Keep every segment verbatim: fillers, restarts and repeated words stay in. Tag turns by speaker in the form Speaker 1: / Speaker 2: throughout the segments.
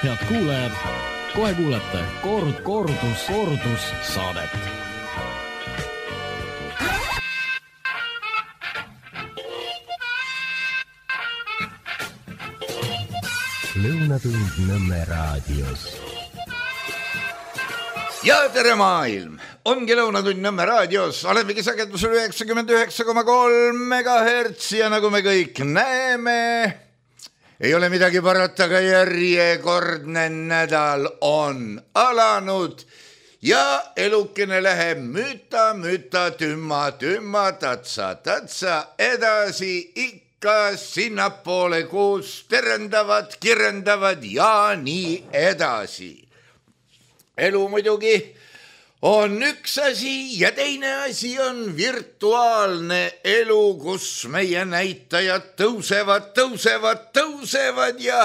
Speaker 1: head kuulajad, kohe kuulete kord, kordus, kordus saadet.
Speaker 2: Lõunatund Nõmme raadios.
Speaker 3: Ja tere maailm! Ongi Lõunatund Nõmme raadios. Olemegi sagedusel üheksakümmend üheksa koma kolm megahertsi ja nagu me kõik näeme, ei ole midagi parata, aga järjekordne nädal on alanud ja elukene läheb müta, müta, tümma, tümma, tatsa, tatsa edasi ikka sinnapoole, kus terendavad, kirendavad ja nii edasi. Elu muidugi on üks asi ja teine asi on virtuaalne elu, kus meie näitajad tõusevad, tõusevad, tõusevad ja,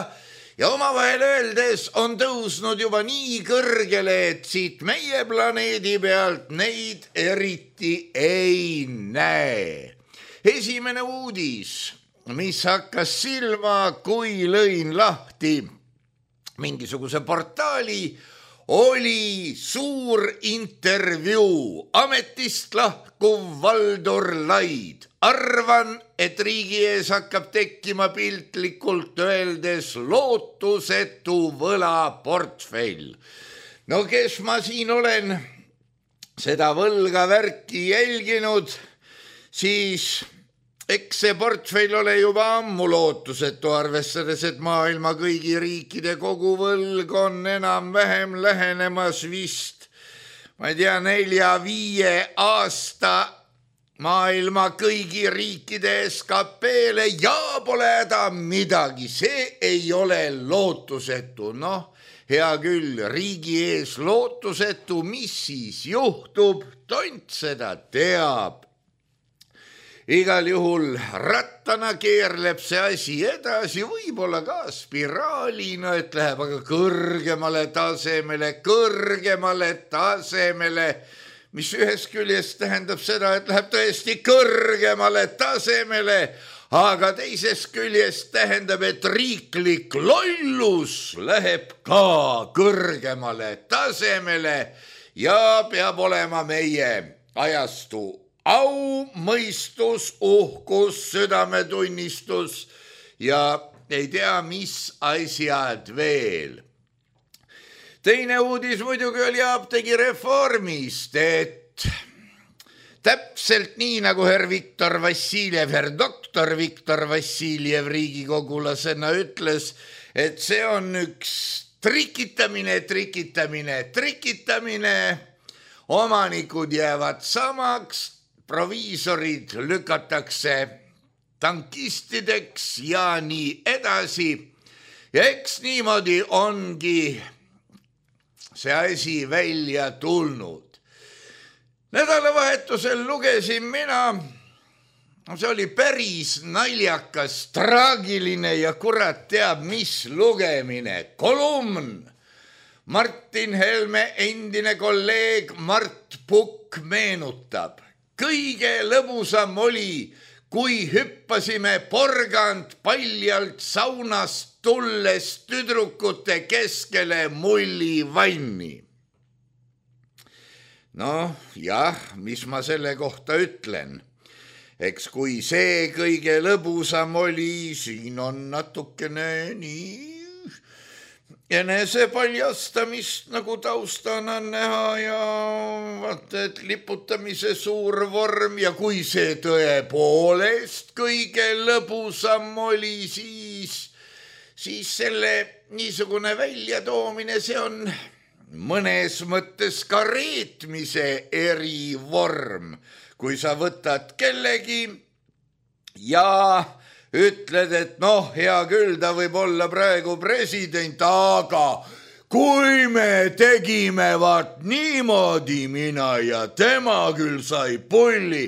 Speaker 3: ja omavahel öeldes on tõusnud juba nii kõrgele, et siit meie planeedi pealt neid eriti ei näe. Esimene uudis, mis hakkas silma, kui lõin lahti mingisuguse portaali, oli suur intervjuu. Ametist lahkuv Valdur Laid. Arvan, et riigi ees hakkab tekkima piltlikult öeldes lootusetu võlaportfell. No kes ma siin olen seda võlga värki jälginud, siis eks see portfell ole juba ammu lootusetu, arvestades, et maailma kõigi riikide koguvõlg on enam-vähem lähenemas vist, ma ei tea, nelja-viie aasta maailma kõigi riikide S K P-le ja pole häda midagi, see ei ole lootusetu. Noh, hea küll, riigi ees lootusetu, mis siis juhtub, tont seda teab. Igal juhul rattana keerleb see asi edasi, võib-olla ka spiraalina, et läheb aga kõrgemale tasemele, kõrgemale tasemele, mis ühest küljest tähendab seda, et läheb tõesti kõrgemale tasemele, aga teisest küljest tähendab, et riiklik lollus läheb ka kõrgemale tasemele ja peab olema meie ajastu au, mõistus, uhkus, südametunnistus ja ei tea, mis asjad veel. Teine uudis muidugi oli apteegireformist, et täpselt nii nagu herr Viktor Vassiljev, herr doktor Viktor Vassiljev riigikogulasena ütles, et see on üks trikitamine, trikitamine, trikitamine, omanikud jäävad samaks, proviisorid lükatakse tankistideks ja nii edasi. Ja eks niimoodi ongi see asi välja tulnud. Nädalavahetusel lugesin mina, see oli päris naljakas, traagiline ja kurat teab mis lugemine. Kolumn. Martin Helme endine kolleeg Mart Pukk meenutab. Kõige lõbusam oli, kui hüppasime porgand paljalt saunast tulles tüdrukute keskele mullivanni. Noh, jah, mis ma selle kohta ütlen? Eks kui see kõige lõbusam oli, siin on natukene nii enese paljastamist nagu taustana näha ja vaata, et liputamise suur vorm ja kui see tõepoolest kõige lõbusam oli, siis, siis selle niisugune väljatoomine, see on mõnes mõttes ka reetmise erivorm, kui sa võtad kellegi ja ütled, et noh, hea küll, ta võib olla praegu president, aga kui me tegime vaat niimoodi mina ja tema küll sai pulli.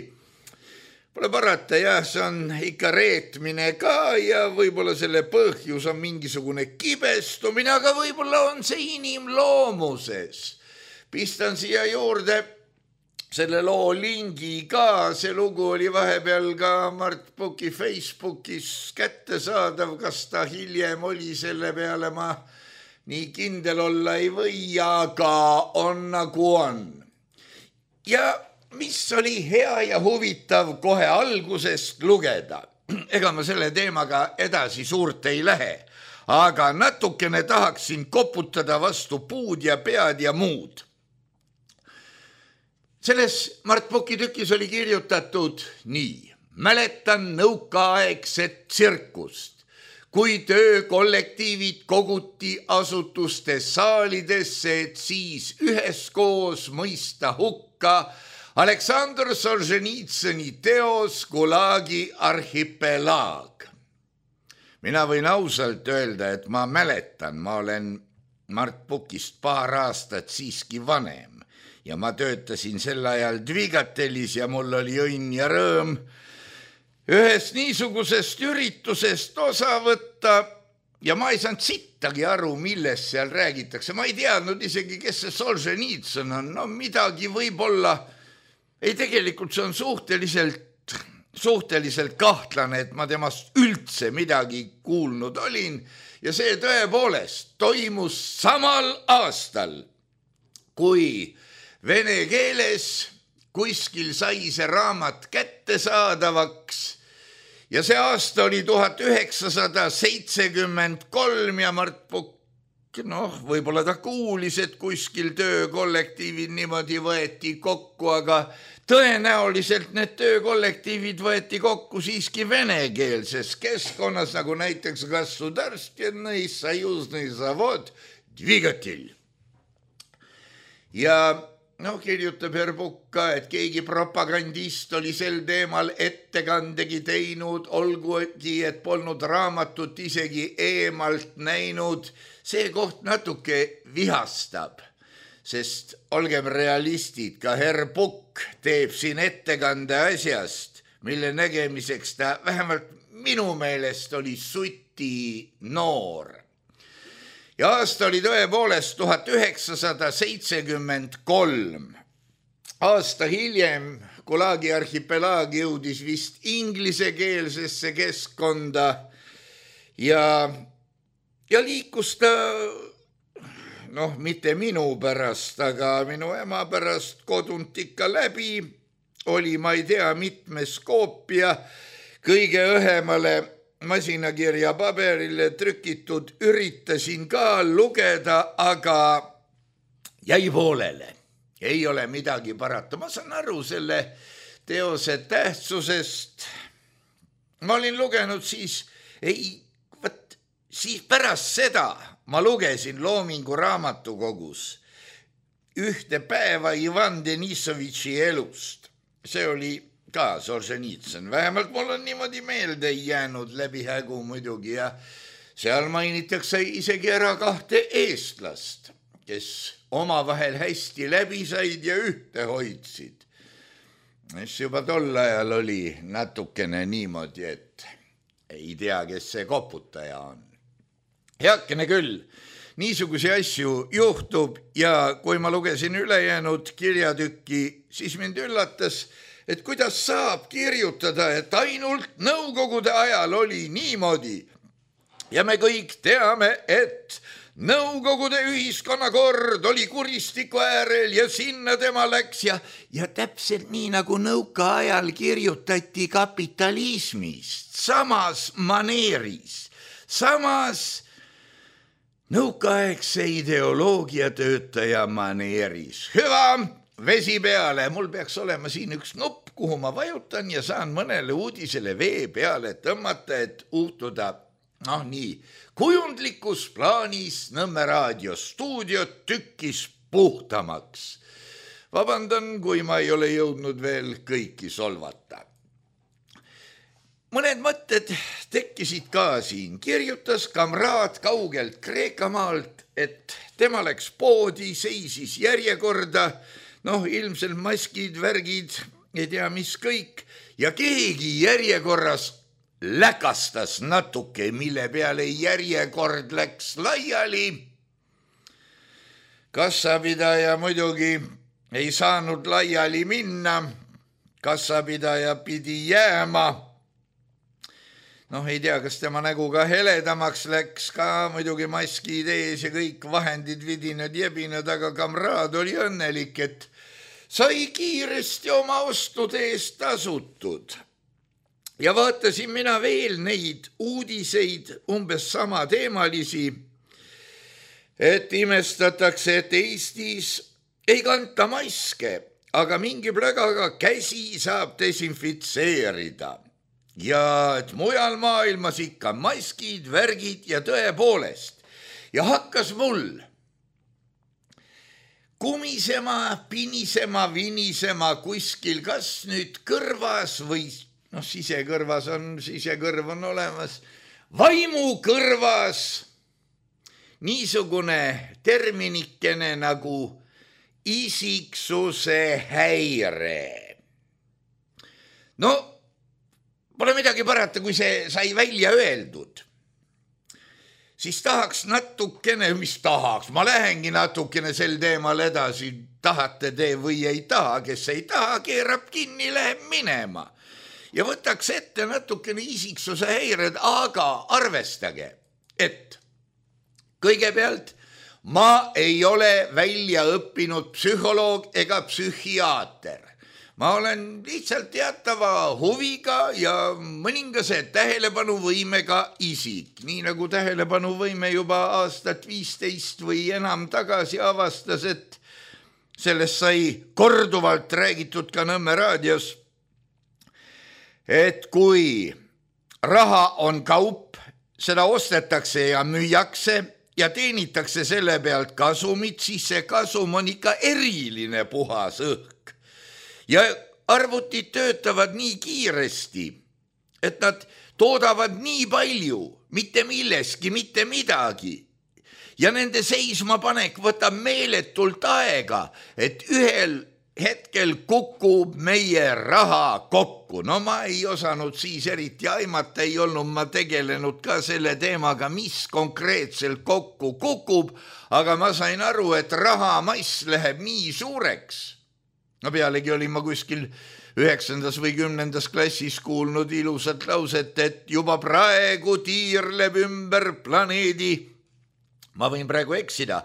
Speaker 3: Pole parata, jah, see on ikka reetmine ka ja võib-olla selle põhjus on mingisugune kibestumine, aga võib-olla on see inimloomuses. Pistan siia juurde selle loo lingi ka, see lugu oli vahepeal ka Mart Puki Facebookis kättesaadav, kas ta hiljem oli selle peale, ma nii kindel olla ei või, aga on nagu on. Ja mis oli hea ja huvitav kohe algusest lugeda, ega ma selle teemaga edasi suurt ei lähe, aga natukene tahaksin koputada vastu puud ja pead ja muud. Selles Mart Puki tükis oli kirjutatud nii: mäletan nõukaaegset tsirkust, kui töökollektiivid koguti asutustes saalidesse, et siis üheskoos mõista hukka Aleksandr Solženitsõni teos Gulagi arhipelaag. Mina võin ausalt öelda, et ma mäletan, ma olen Mart Pukist paar aastat siiski vanem ja ma töötasin sel ajal Dvigatelis ja mul oli õnn ja rõõm ühest niisugusest üritusest osa võtta ja ma ei saanud sittagi aru, millest seal räägitakse. Ma ei teadnud isegi, kes see Solženitsõn on. No midagi võib-olla, ei tegelikult see on suhteliselt, suhteliselt kahtlane, et ma temast üldse midagi kuulnud olin ja see tõepoolest toimus samal aastal, kui vene keeles kuskil sai see raamat kättesaadavaks ja see aasta oli tuhat üheksasada seitsekümmend kolm ja Mart Pukk, noh, võib-olla ta kuulis, et kuskil töökollektiivid niimoodi võeti kokku, aga tõenäoliselt need töökollektiivid võeti kokku siiski venekeelses keskkonnas, nagu näiteks Gasudarstvennõi Sajusnõi Zavod Dvigatil. Ja noh, kirjutab Herr Pukk ka, et keegi propagandist oli sel teemal ettekandegi teinud, olgugi, et polnud raamatut isegi eemalt näinud. See koht natuke vihastab, sest olgem realistid, ka Herr Pukk teeb siin ettekande asjast, mille nägemiseks ta vähemalt minu meelest oli suti noor. Ja aasta oli tõepoolest tuhat üheksasada seitsekümmend kolm. Aasta hiljem Gulagi arhipelaag jõudis vist inglisekeelsesse keskkonda ja, ja liikus ta, noh, mitte minu pärast, aga minu ema pärast kodunt ikka läbi, oli, ma ei tea, mitmes koopia, kõige õhemale masinakirja paberile trükitud, üritasin ka lugeda, aga jäi poolele. Ei ole midagi parata. Ma saan aru selle teose tähtsusest. Ma olin lugenud siis, ei, võt, siis pärast seda ma lugesin Loomingu raamatukogus ühte päeva Ivan Denisovitši elust. See oli ka Solženitsõn, vähemalt mul on niimoodi meelde jäänud läbi hägu muidugi ja seal mainitakse isegi ära kahte eestlast, kes omavahel hästi läbi said ja ühte hoidsid. Mis juba tol ajal oli natukene niimoodi, et ei tea, kes see koputaja on. Heakene küll, niisugusi asju juhtub ja kui ma lugesin ülejäänud kirjatükki, siis mind üllatas, et kuidas saab kirjutada, et ainult nõukogude ajal oli niimoodi. Ja me kõik teame, et nõukogude ühiskonnakord oli kuristiku äärel ja sinna tema läks ja, ja täpselt nii nagu nõukaajal kirjutati kapitalismist, samas maneeris, samas nõukaaegse ideoloogia töötaja maneeris. Hüva! Vesi peale, mul peaks olema siin üks nupp, kuhu ma vajutan ja saan mõnele uudisele vee peale tõmmata, et uhtuda, noh nii, kujundlikus plaanis Nõmme raadiostuudiot tükkis puhtamaks. Vabandan, kui ma ei ole jõudnud veel kõiki solvata. Mõned mõtted tekkisid ka siin. Kirjutas kamraad kaugelt Kreekamaalt, et tema läks poodi, seisis järjekorda, noh, ilmselt maskid, värgid, ei tea mis kõik, ja keegi järjekorras läkastas natuke, mille peale järjekord läks laiali. Kassapidaja muidugi ei saanud laiali minna, kassapidaja pidi jääma. noh, ei tea, kas tema nägu ka heledamaks läks, ka muidugi maskid ees ja kõik vahendid vidinad, jebinad, aga kamraad oli õnnelik, et sai kiiresti oma ostude eest tasutud. Ja vaatasin mina veel neid uudiseid, umbes sama teemalisi, et imestatakse, et Eestis ei kanta maske, aga mingi plögaga käsi saab desinfitseerida. Ja et mujal maailmas ikka maskid, värgid ja tõepoolest. Ja hakkas mul kumisema, pinisema, vinisema kuskil, kas nüüd kõrvas või, noh, sisekõrvas on, sisekõrv on olemas, vaimu kõrvas niisugune terminikene nagu isiksuse häire. No, pole midagi parata, kui see sai välja öeldud. Siis tahaks natukene, mis tahaks, ma lähengi natukene sel teemal edasi, tahate te või ei taha, kes ei taha, keerab kinni, läheb minema. Ja võtaks ette natukene isiksuse häired, aga arvestage, et kõigepealt ma ei ole välja õppinud psühholoog ega psühhiaater. Ma olen lihtsalt teatava huviga ja mõningase tähelepanuvõimega isik, nii nagu tähelepanuvõime juba aastat viisteist või enam tagasi avastas, et sellest sai korduvalt räägitud ka Nõmme raadios, et kui raha on kaup, seda ostetakse ja müüakse ja teenitakse selle pealt kasumit, siis see kasum on ikka eriline puhas õhk. Ja arvutid töötavad nii kiiresti, et nad toodavad nii palju, mitte milleski, mitte midagi. Ja nende seismapanek võtab meeletult aega, et ühel hetkel kukub meie raha kokku. No ma ei osanud siis eriti aimata, ei olnud ma tegelenud ka selle teemaga, mis konkreetselt kokku kukub, aga ma sain aru, et rahamass läheb nii suureks. No pealegi olin ma kuskil üheksandas või kümnendas klassis kuulnud ilusat lauset, et juba praegu tiirleb ümber planeedi, ma võin praegu eksida,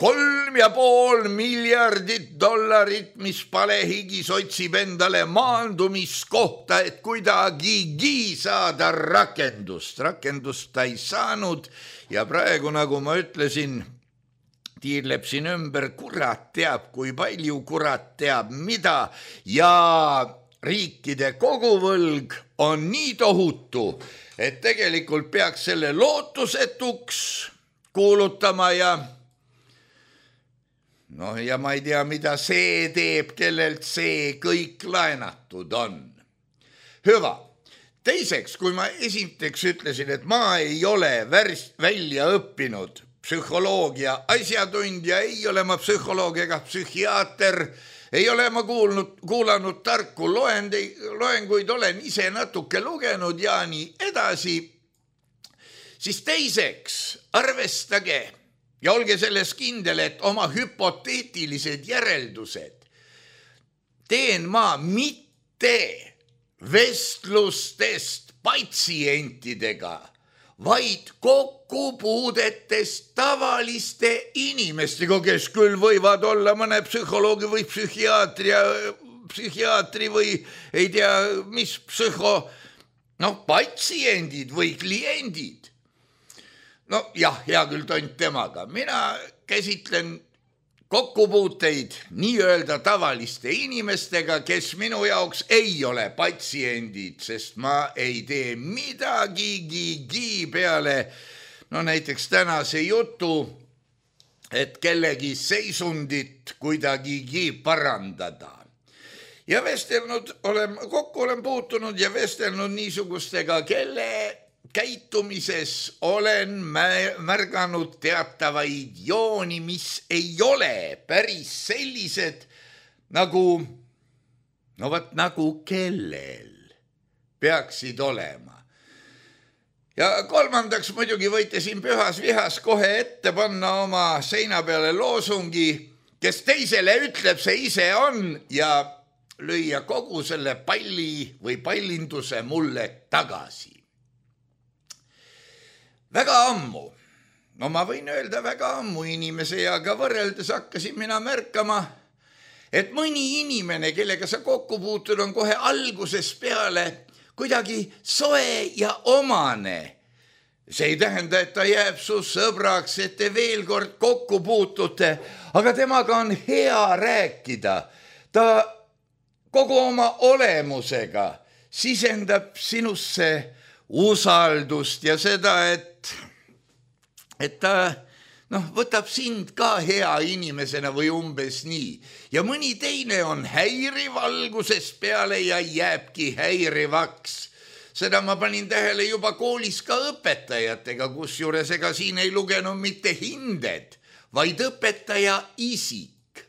Speaker 3: kolm ja pool miljardit dollarit, mis palehigis otsib endale maandumiskohta, et kuidagigi saada rakendust. Rakendust ta ei saanud ja praegu, nagu ma ütlesin, tiirleb siin ümber, kurat teab, kui palju, kurat teab mida ja riikide koguvõlg on nii tohutu, et tegelikult peaks selle lootusetuks kuulutama ja noh, ja ma ei tea, mida see teeb, kellelt see kõik laenatud on. Hüva. Teiseks, kui ma esiteks ütlesin, et ma ei ole värs, välja õppinud psühholoogia asjatundja, ei ole ma psühholoog ega psühhiaater, ei ole ma kuulnud, kuulanud tarku loendi, loenguid, olen ise natuke lugenud ja nii edasi. Siis teiseks, arvestage ja olge selles kindel, et oma hüpoteetilised järeldused teen ma mitte vestlustest patsientidega, vaid kokkupuudetest tavaliste inimestega, kes küll võivad olla mõne psühholoogi või psühhiaatri, psühhiaatri või ei tea, mis psühho, noh, patsiendid või kliendid. No jah, hea küll tont temaga. Mina käsitlen kokkupuuteid nii-öelda tavaliste inimestega, kes minu jaoks ei ole patsiendid, sest ma ei tee midagigi peale, no näiteks tänase jutu, et kellegi seisundit kuidagigi parandada. Ja vestelnud olen, kokku olen puutunud ja vestelnud niisugustega, kelle käitumises olen märganud teatavaid jooni, mis ei ole päris sellised nagu, no võt nagu kellel peaksid olema. Ja kolmandaks muidugi võite siin pühas vihas kohe ette panna oma seina peale loosungi, kes teisele ütleb, see ise on ja lüüa kogu selle palli või pallinduse mulle tagasi. väga ammu, no ma võin öelda väga ammu inimese eaga võrreldes hakkasin mina märkama, et mõni inimene, kellega sa kokku puutud, on kohe algusest peale kuidagi soe ja omane. See ei tähenda, et ta jääb su sõbraks, et te veel kord kokku puutute, aga temaga on hea rääkida. Ta kogu oma olemusega sisendab sinusse usaldust ja seda, et, et ta noh, võtab sind ka hea inimesena või umbes nii. Ja mõni teine on häiriv algusest peale ja jääbki häirivaks. Seda ma panin tähele juba koolis ka õpetajatega, kus juures ega siin ei lugenud mitte hinded, vaid õpetaja isik.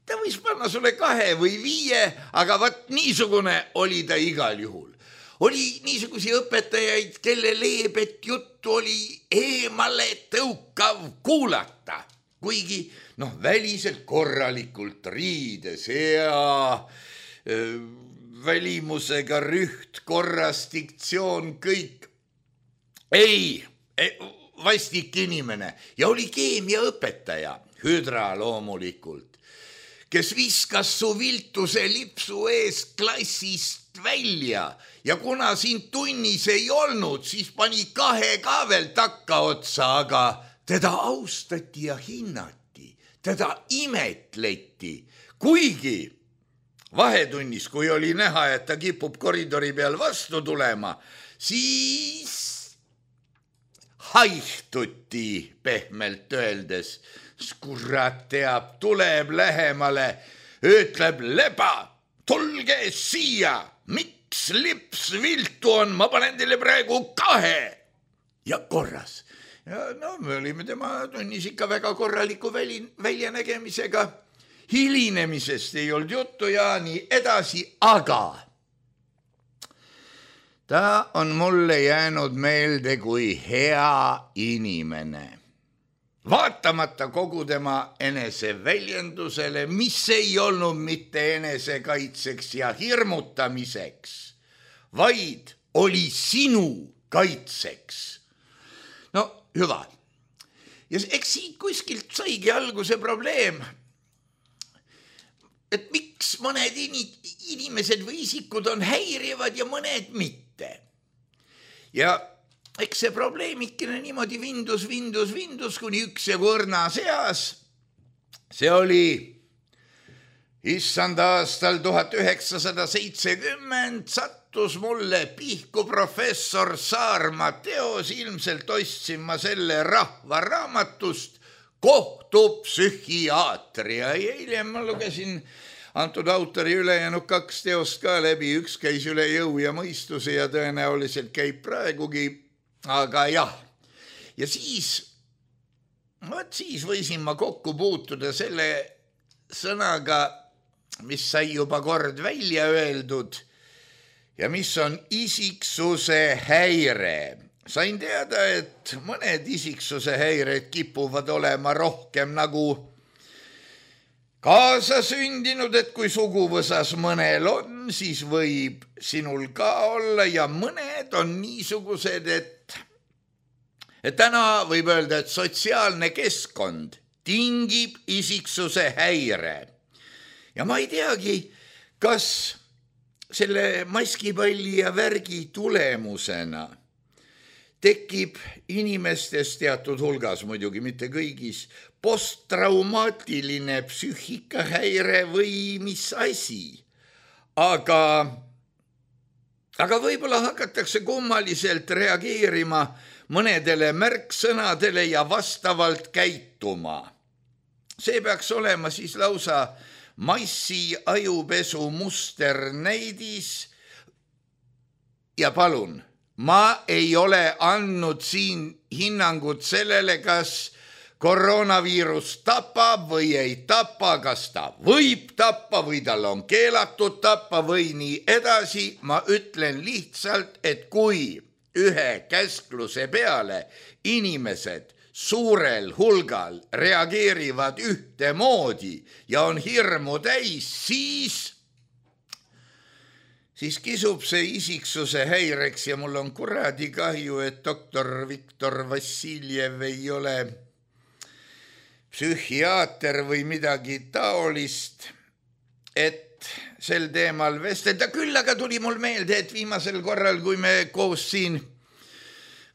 Speaker 3: Ta võis panna sulle kahe või viie, aga vaat niisugune oli ta igal juhul. Oli niisugusi õpetajaid, kelle leebet juttu oli eemale tõukav kuulata, kuigi noh, väliselt korralikult riides ja öö, välimusega rüht, korras, diktsioon, kõik. Ei, vastik inimene ja oli keemiaõpetaja, hüdra loomulikult, kes viskas su viltuse lipsu ees klassist välja ja kuna sind tunnis ei olnud, siis pani kahe ka veel takka otsa, aga teda austati ja hinnati, teda imetleti, kuigi vahetunnis, kui oli näha, et ta kipub koridori peal vastu tulema, siis haihtuti pehmelt öeldes. Kurat teab, tuleb lähemale, ütleb leba, tulge siia, miks lips viltu on, ma panen teile praegu kahe. Ja korras. Ja no me olime tema tunnis ikka väga korraliku väli, väljanägemisega. Hilinemisest ei olnud juttu ja nii edasi, aga ta on mulle jäänud meelde kui hea inimene. Vaatamata kogu tema eneseväljendusele, mis ei olnud mitte enesekaitseks ja hirmutamiseks, vaid oli sinu kaitseks. No hüva. Ja eks siit kuskilt saigi alguse probleem, et miks mõned inimesed või isikud on häirivad ja mõned mitte. Ja eks see probleemikene niimoodi vindus, vindus, vindus, kuni üks ja kõrna seas. See oli issand aastal tuhat üheksasada seitsekümmend, sattus mulle pihku professor Saarma teos, ilmselt ostsin ma selle rahvaraamatust Kohtupsühhiaatria. Hiljem ma lugesin antud autori ülejäänud kaks teost ka läbi, üks käis üle jõu ja mõistuse ja tõenäoliselt käib praegugi, aga jah. Ja siis, võt siis võisin ma kokku puutuda selle sõnaga, mis sai juba kord välja öeldud ja mis on isiksuse häire. Sain teada, et mõned isiksuse häired kipuvad olema rohkem nagu kaasasündinud, et kui suguvõsas mõnel on, siis võib sinul ka olla ja mõned on niisugused, et, et täna võib öelda, et sotsiaalne keskkond tingib isiksuse häire. Ja ma ei teagi, kas selle maskipalli ja värgi tulemusena tekib inimestes teatud hulgas, muidugi mitte kõigis, posttraumaatiline psüühikahäire või mis asi. Aga, aga võib-olla hakatakse kummaliselt reageerima mõnedele märksõnadele ja vastavalt käituma. See peaks olema siis lausa massi ajupesu musternäidis. Ja palun, ma ei ole andnud siin hinnangut sellele, kas koroonaviirus tapab või ei tapa, kas ta võib tappa või tal on keelatud tappa või nii edasi. Ma ütlen lihtsalt, et kui ühe käskluse peale inimesed suurel hulgal reageerivad ühtemoodi ja on hirmu täis, siis siis kisub see isiksuse häireks ja mul on kuradi kahju, et doktor Viktor Vassiljev ei ole psühhiaater või midagi taolist, et sel teemal vestelda. Küll aga tuli mul meelde, et viimasel korral, kui me koos siin,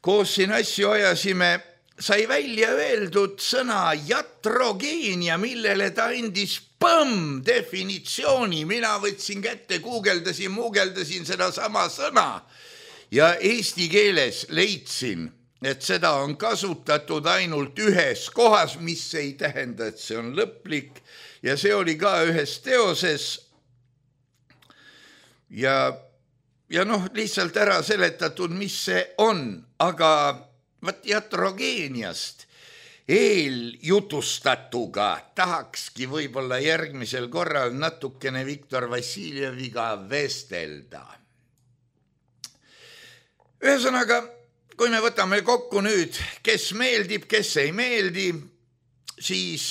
Speaker 3: koos siin asju ajasime, sai välja öeldud sõna jatrogeenia, millele ta andis põmm definitsiooni. Mina võtsin kätte, guugeldasin, muugeldasin seda sama sõna ja eesti keeles leidsin, et seda on kasutatud ainult ühes kohas, mis ei tähenda, et see on lõplik ja see oli ka ühes teoses ja, ja noh, lihtsalt ära seletatud, mis see on, aga võt jatrogeeniast eeljutustatuga tahakski võib-olla järgmisel korral natukene Viktor Vassiljeviga vestelda. Ühesõnaga, kui me võtame kokku nüüd, kes meeldib, kes ei meeldi, siis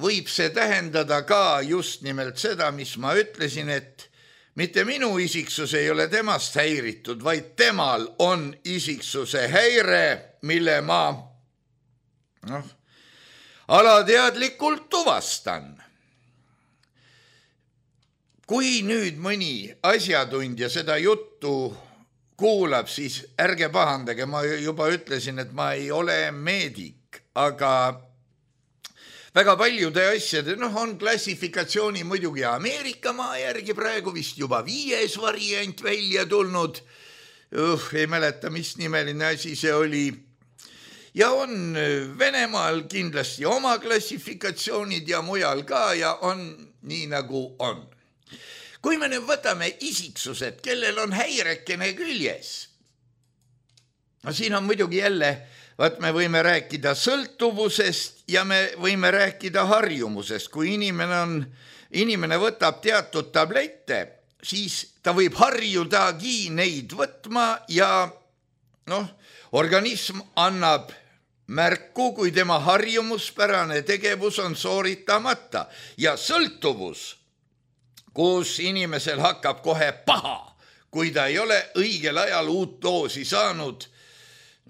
Speaker 3: võib see tähendada ka just nimelt seda, mis ma ütlesin, et mitte minu isiksus ei ole temast häiritud, vaid temal on isiksuse häire, mille ma noh, alateadlikult tuvastan. Kui nüüd mõni asjatundja seda juttu kuulab, siis ärge pahandage, ma juba ütlesin, et ma ei ole meedik, aga väga paljude asjade, noh, on klassifikatsiooni muidugi Ameerika maa järgi praegu vist juba viies variant välja tulnud. Uh, ei mäleta, mis nimeline asi see oli. Ja on Venemaal kindlasti oma klassifikatsioonid ja mujal ka ja on nii nagu on. Kui me nüüd võtame isiksused, kellel on häirekene küljes, no siin on muidugi jälle, vaat me võime rääkida sõltuvusest ja me võime rääkida harjumusest. Kui inimene, on, inimene võtab teatud tablette, siis ta võib harjudagi neid võtma ja noh, organism annab märku, kui tema harjumuspärane tegevus on sooritamata ja sõltuvus, kus inimesel hakkab kohe paha, kui ta ei ole õigel ajal uut doosi saanud,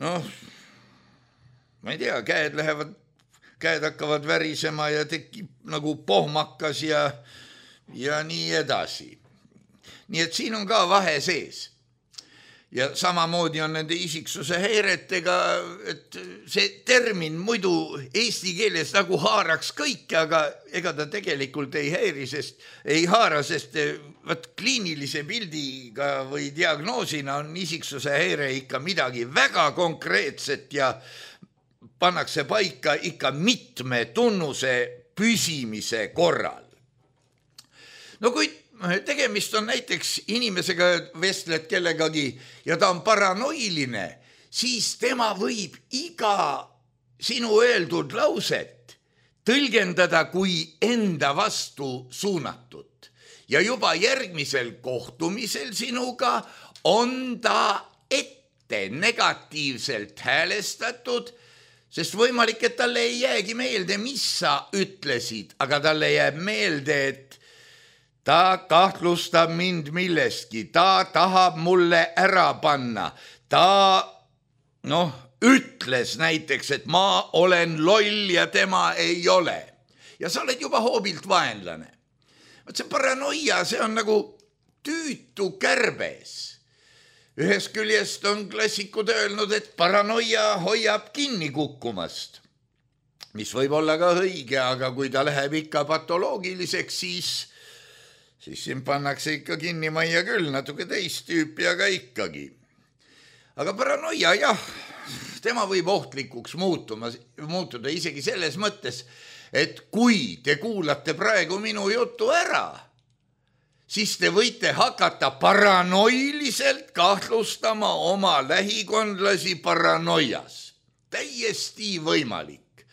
Speaker 3: noh, ma ei tea, käed lähevad, käed hakkavad värisema ja tekib nagu pohmakas ja, ja nii edasi. Nii et siin on ka vahe sees. Ja samamoodi on nende isiksuse häiretega, et see termin muidu eesti keeles nagu haaraks kõike, aga ega ta tegelikult ei häiri, sest ei haara, sest võt, kliinilise pildiga või diagnoosina on isiksuse häire ikka midagi väga konkreetset ja pannakse paika ikka mitme tunnuse püsimise korral. No kui tegemist on näiteks inimesega, vestled kellegagi ja ta on paranoiline, siis tema võib iga sinu öeldud lauset tõlgendada kui enda vastu suunatud. Ja juba järgmisel kohtumisel sinuga on ta ette negatiivselt häälestatud, sest võimalik, et talle ei jäägi meelde, mis sa ütlesid, aga talle jääb meelde, et ta kahtlustab mind millestki, ta tahab mulle ära panna, ta noh, ütles näiteks, et ma olen loll ja tema ei ole. Ja sa oled juba hoobilt vaenlane. See paranoia, see on nagu tüütu kärbes. Ühest küljest on klassikud öelnud, et paranoia hoiab kinni kukkumast, mis võib olla ka õige, aga kui ta läheb ikka patoloogiliseks, siis siis siin pannakse ikka kinni majja küll, natuke teist tüüpi, aga ikkagi. Aga paranoia, jah, tema võib ohtlikuks muutuma, muutuda isegi selles mõttes, et kui te kuulate praegu minu jutu ära, siis te võite hakata paranoiliselt kahtlustama oma lähikondlasi paranoias. Täiesti võimalik.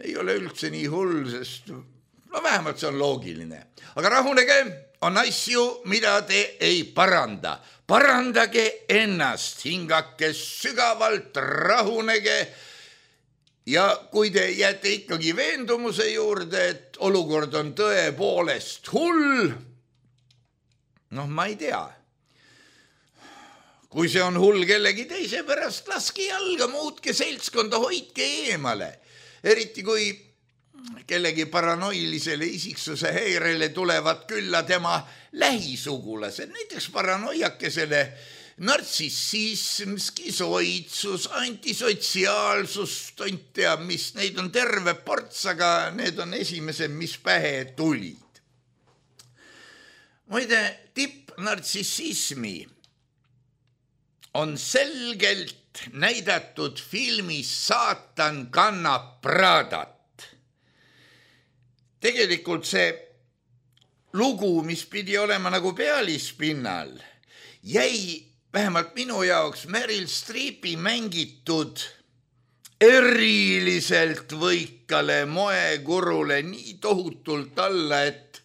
Speaker 3: Ei ole üldse nii hull, sest no vähemalt see on loogiline. Aga rahunege, on asju, mida te ei paranda. Parandage ennast, hingake sügavalt, rahunege. Ja kui te jääte ikkagi veendumuse juurde, et olukord on tõepoolest hull, noh, ma ei tea. Kui see on hull kellegi teise pärast, laske jalga, muutke seltskonda, hoidke eemale. Eriti kui kellegi paranoilisele isiksuse häirele tulevad külla tema lähisugulased, näiteks paranoiakesele nartsissism, skisoidsus, antisotsiaalsus, tont teab mis, neid on terve ports, aga need on esimesed, mis pähe tulid. Muide, tipp nartsissismi on selgelt näidatud filmis Saatan kannab Pradat. Tegelikult see lugu, mis pidi olema nagu pealispinnal, jäi vähemalt minu jaoks Meryl Streepi mängitud eriliselt võikale moekurule nii tohutult alla, et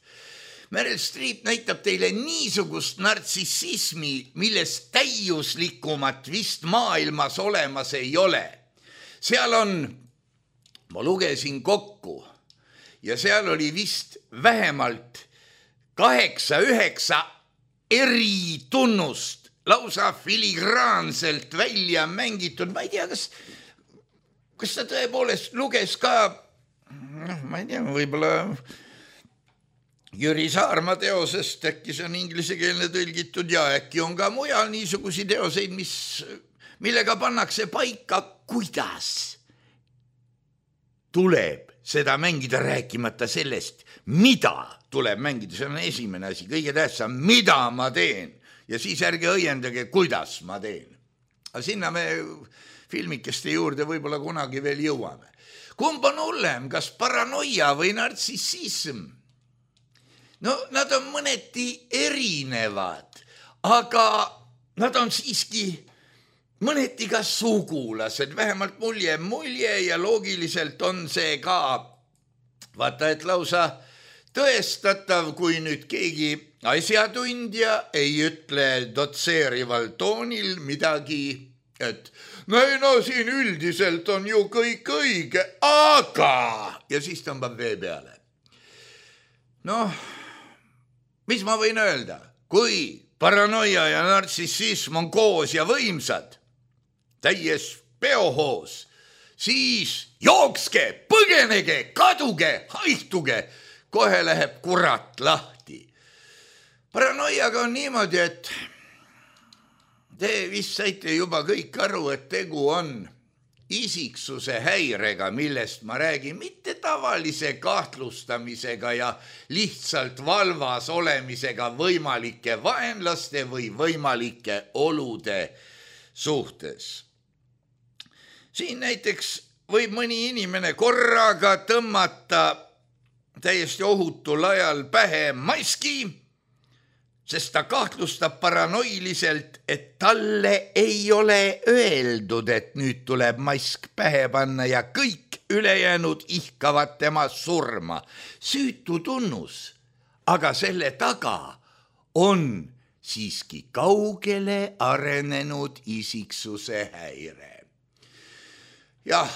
Speaker 3: Meryl Streep näitab teile niisugust nartsissismi, millest täiuslikumat vist maailmas olemas ei ole. Seal on, ma lugesin kokku, ja seal oli vist vähemalt kaheksa, üheksa eritunnust, lausa filigraanselt välja mängitud. Ma ei tea, kas, kas ta tõepoolest luges ka, noh, ma ei tea, võib-olla Jüri Saarma teosest, äkki see on inglisekeelne tõlgitud ja äkki on ka mujal niisugusi teoseid, mis, millega pannakse paika, kuidas tuleb seda mängida, rääkimata sellest, mida tuleb mängida. See on esimene asi, kõige tähtsam, mida ma teen ja siis ärge õiendage, kuidas ma teen. Aga sinna me filmikeste juurde võib-olla kunagi veel jõuame. Kumb on hullem, kas paranoia või nartsissism? No nad on mõneti erinevad, aga nad on siiski mõneti ka sugulased, vähemalt mulje mulje ja loogiliselt on see ka, vaata, et lausa tõestatav, kui nüüd keegi asjatundja ei ütle dotseerival toonil midagi, et no, no siin üldiselt on ju kõik õige, aga ja siis tõmbab vee peale. Noh, mis ma võin öelda, kui paranoia ja nartsissism on koos ja võimsad, täies peohoos, siis jookske, põgenege, kaduge, haihtuge, kohe läheb kurat lahti. Paranoiaga on niimoodi, et te vist saite juba kõik aru, et tegu on isiksuse häirega, millest ma räägin, mitte tavalise kahtlustamisega ja lihtsalt valvas olemisega võimalike vaenlaste või võimalike olude suhtes. Siin näiteks võib mõni inimene korraga tõmmata täiesti ohutul ajal pähe maski, sest ta kahtlustab paranoiliselt, et talle ei ole öeldud, et nüüd tuleb mask pähe panna ja kõik ülejäänud ihkavad tema surma. Süütu tunnus, aga selle taga on siiski kaugele arenenud isiksuse häire. Jah,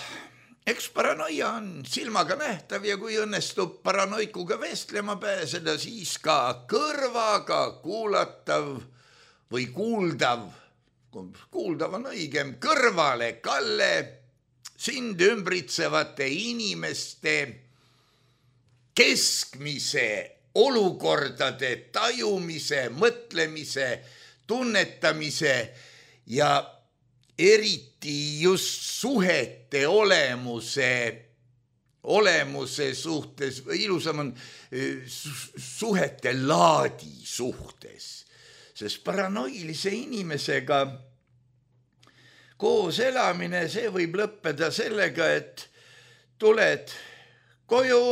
Speaker 3: eks paranoia on silmaga nähtav ja kui õnnestub paranoikuga vestlema pääseda, siis ka kõrvaga kuulatav või kuuldav, kuuldav on õigem, kõrvale kalle sind ümbritsevate inimeste keskmise olukordade tajumise, mõtlemise, tunnetamise ja eriti just suhete olemuse, olemuse suhtes, ilusam on suhete laadi suhtes, sest paranoilise inimesega koos elamine, see võib lõppeda sellega, et tuled koju,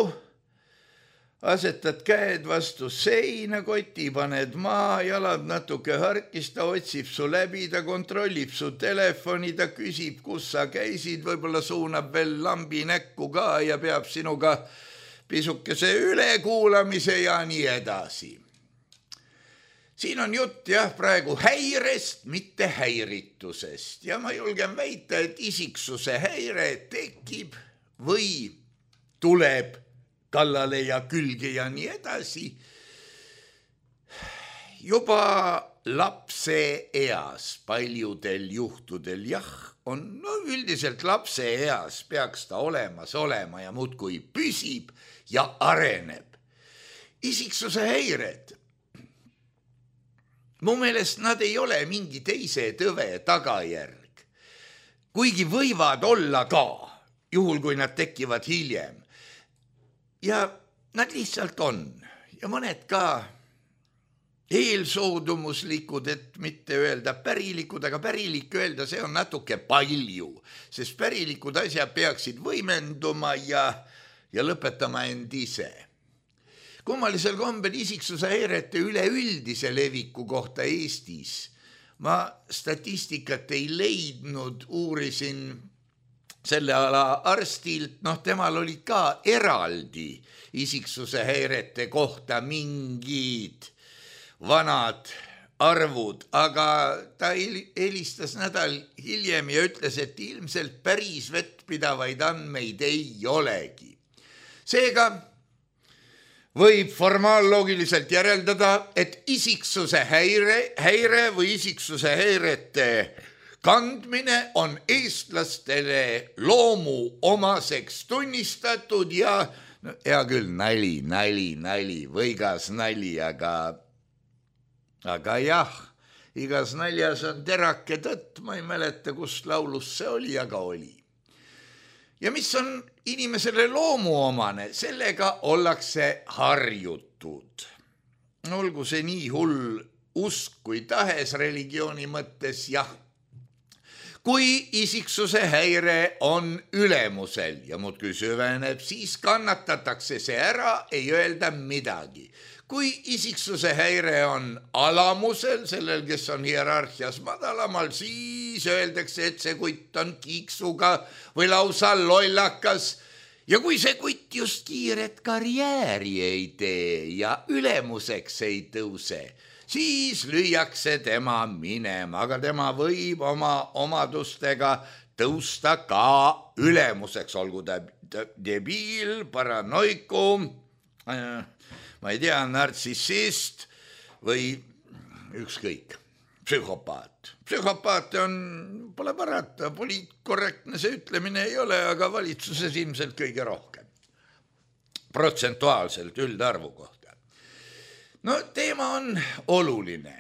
Speaker 3: asetad käed vastu seina, koti paned maa, jalad natuke harkis, ta otsib su läbi, ta kontrollib su telefoni, ta küsib, kus sa käisid, võib-olla suunab veel lambi näkku ka ja peab sinuga pisukese ülekuulamise ja nii edasi. Siin on jutt jah praegu häirest, mitte häiritusest ja ma julgen väita, et isiksuse häire tekib või tuleb kallale ja külge ja nii edasi. juba lapse eas paljudel juhtudel jah, on no üldiselt lapse eas peaks ta olemas olema ja muudkui püsib ja areneb. Isiksuse häired. Mu meelest nad ei ole mingi teise tõve tagajärg, kuigi võivad olla ka, juhul kui nad tekivad hiljem. Ja nad lihtsalt on ja mõned ka eelsoodumuslikud, et mitte öelda pärilikud, aga pärilik öelda, see on natuke palju, sest pärilikud asjad peaksid võimenduma ja, ja lõpetama end ise. Kummalisel kombel isiksuse häirete üleüldise leviku kohta Eestis ma statistikat ei leidnud, uurisin selle ala arstilt, noh temal olid ka eraldi isiksuse häirete kohta mingid vanad arvud, aga ta helistas nädal hiljem ja ütles, et ilmselt päris vettpidavaid andmeid ei olegi. Seega võib formaalloogiliselt järeldada, et isiksuse häire, häire või isiksuse häirete kandmine on eestlastele loomu omaseks tunnistatud ja no, hea küll, nali, nali, nali, võigas nali, aga Aga jah, igas naljas on terake tõtt, ma ei mäleta, kust laulus see oli, aga oli. Ja mis on inimesele loomuomane, sellega ollakse harjutud. Olgu see nii hull usk kui tahes religiooni mõttes, jah. Kui isiksuse häire on ülemusel ja muudkui süveneb, siis kannatatakse see ära, ei öelda midagi. Kui isiksuse häire on alamusel, sellel, kes on hierarhias madalamal, siis öeldakse, et see kutt on kiiksuga või lausa lollakas. Ja kui see kutt just kiiret karjääri ei tee ja ülemuseks ei tõuse, siis lüüakse tema minema, aga tema võib oma omadustega tõusta ka ülemuseks, olgu ta debiil, paranoikum, ma ei tea, nartsissist või ükskõik, psühhopaat. Psühhopaat on, pole parata, poliitkorrektne see ütlemine ei ole, aga valitsuses ilmselt kõige rohkem. Protsentuaalselt üldarvu kohta. No teema on oluline.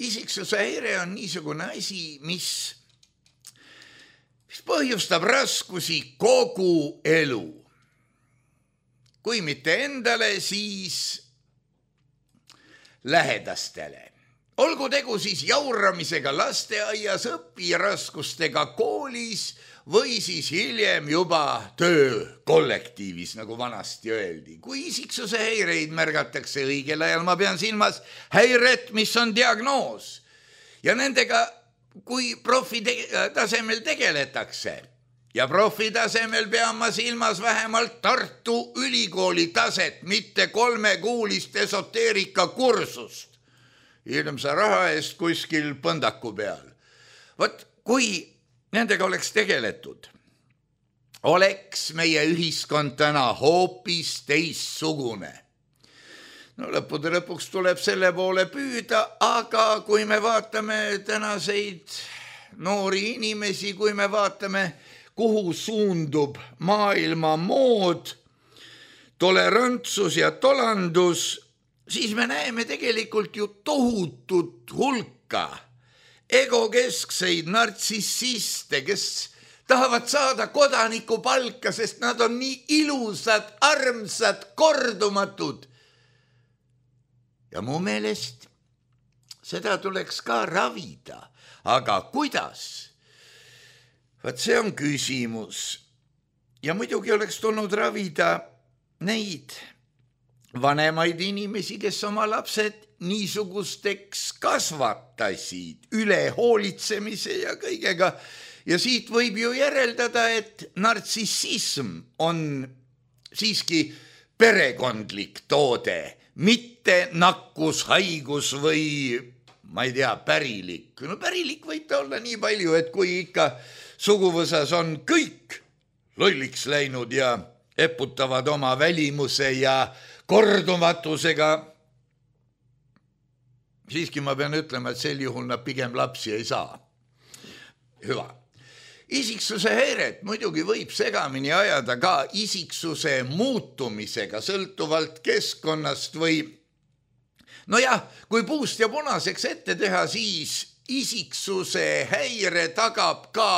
Speaker 3: Isiksuse häire on niisugune asi, mis, mis põhjustab raskusi kogu elu. Kui mitte endale, siis lähedastele. Olgu tegu siis jauramisega lasteaias, õpiraskustega koolis või siis hiljem juba töö kollektiivis, nagu vanasti öeldi. Kui isiksuse häireid märgatakse õigel ajal, ma pean silmas häiret, mis on diagnoos. Ja nendega, kui profi tasemel tegeletakse, ja profi tasemel pean ma silmas vähemalt Tartu ülikooli taset, mitte kolmekuulist esoteerika kursust. Ilmsa raha eest kuskil põndaku peal. Vot, kui nendega oleks tegeletud, oleks meie ühiskond täna hoopis teissugune. No lõppude lõpuks tuleb selle poole püüda, aga kui me vaatame tänaseid noori inimesi, kui me vaatame kuhu suundub maailma mood, tolerantsus ja tolandus, siis me näeme tegelikult ju tohutut hulka egokeskseid nartsissiste, kes tahavad saada kodaniku palka, sest nad on nii ilusad, armsad, kordumatud. Ja mu meelest seda tuleks ka ravida, aga kuidas? Vaat see on küsimus. Ja muidugi oleks tulnud ravida neid vanemaid inimesi, kes oma lapsed niisugusteks kasvatasid, üle hoolitsemise ja kõigega. Ja siit võib ju järeldada, et nartsissism on siiski perekondlik toode, mitte nakkus, haigus või, ma ei tea, pärilik. No pärilik võib ta olla nii palju, et kui ikka suguvõsas on kõik lolliks läinud ja eputavad oma välimuse ja kordumatusega, siiski ma pean ütlema, et sel juhul nad pigem lapsi ei saa. Hüva. Isiksuse häiret muidugi võib segamini ajada ka isiksuse muutumisega sõltuvalt keskkonnast või nojah, kui puust ja punaseks ette teha, siis isiksuse häire tagab ka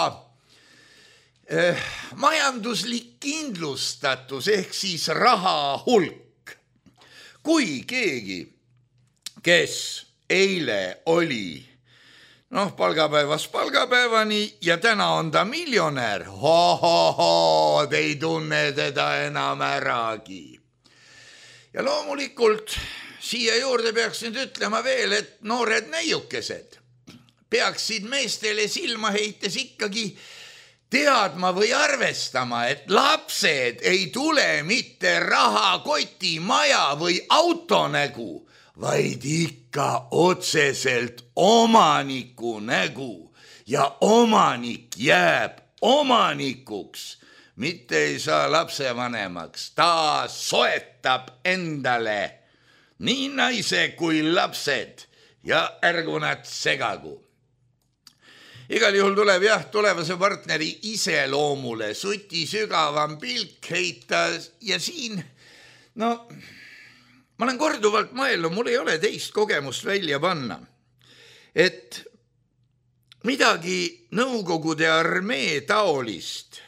Speaker 3: eh, majanduslik kindlustatus ehk siis raha hulk. Kui keegi, kes eile oli noh, palgapäevast palgapäevani ja täna on ta miljonär, ho-ho-ho, te ei tunne teda enam äragi. Ja loomulikult siia juurde peaks nüüd ütlema veel, et noored neiukesed peaksid meestele silma heites ikkagi teadma või arvestama, et lapsed ei tule mitte rahakoti, maja või auto nägu, vaid ikka otseselt omaniku nägu ja omanik jääb omanikuks, mitte ei saa lapsevanemaks. Ta soetab endale nii naise kui lapsed ja ärgu nad segagu. Igal juhul tuleb jah, tulevase partneri iseloomule suti sügavam pilk heita ja siin, no ma olen korduvalt mõelnud, mul ei ole teist kogemust välja panna, et midagi Nõukogude armee taolist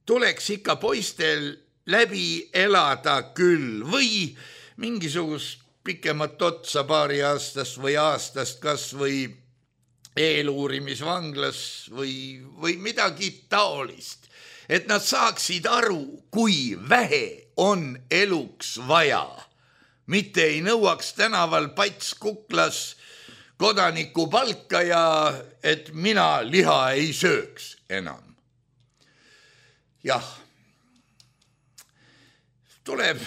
Speaker 3: tuleks ikka poistel läbi elada küll või mingisugust pikemat otsa paari aastast või aastast kas või eeluurimisvanglas või, või midagi taolist, et nad saaksid aru, kui vähe on eluks vaja. Mitte ei nõuaks tänaval pats kuklas kodaniku palka ja et mina liha ei sööks enam. Jah, tuleb,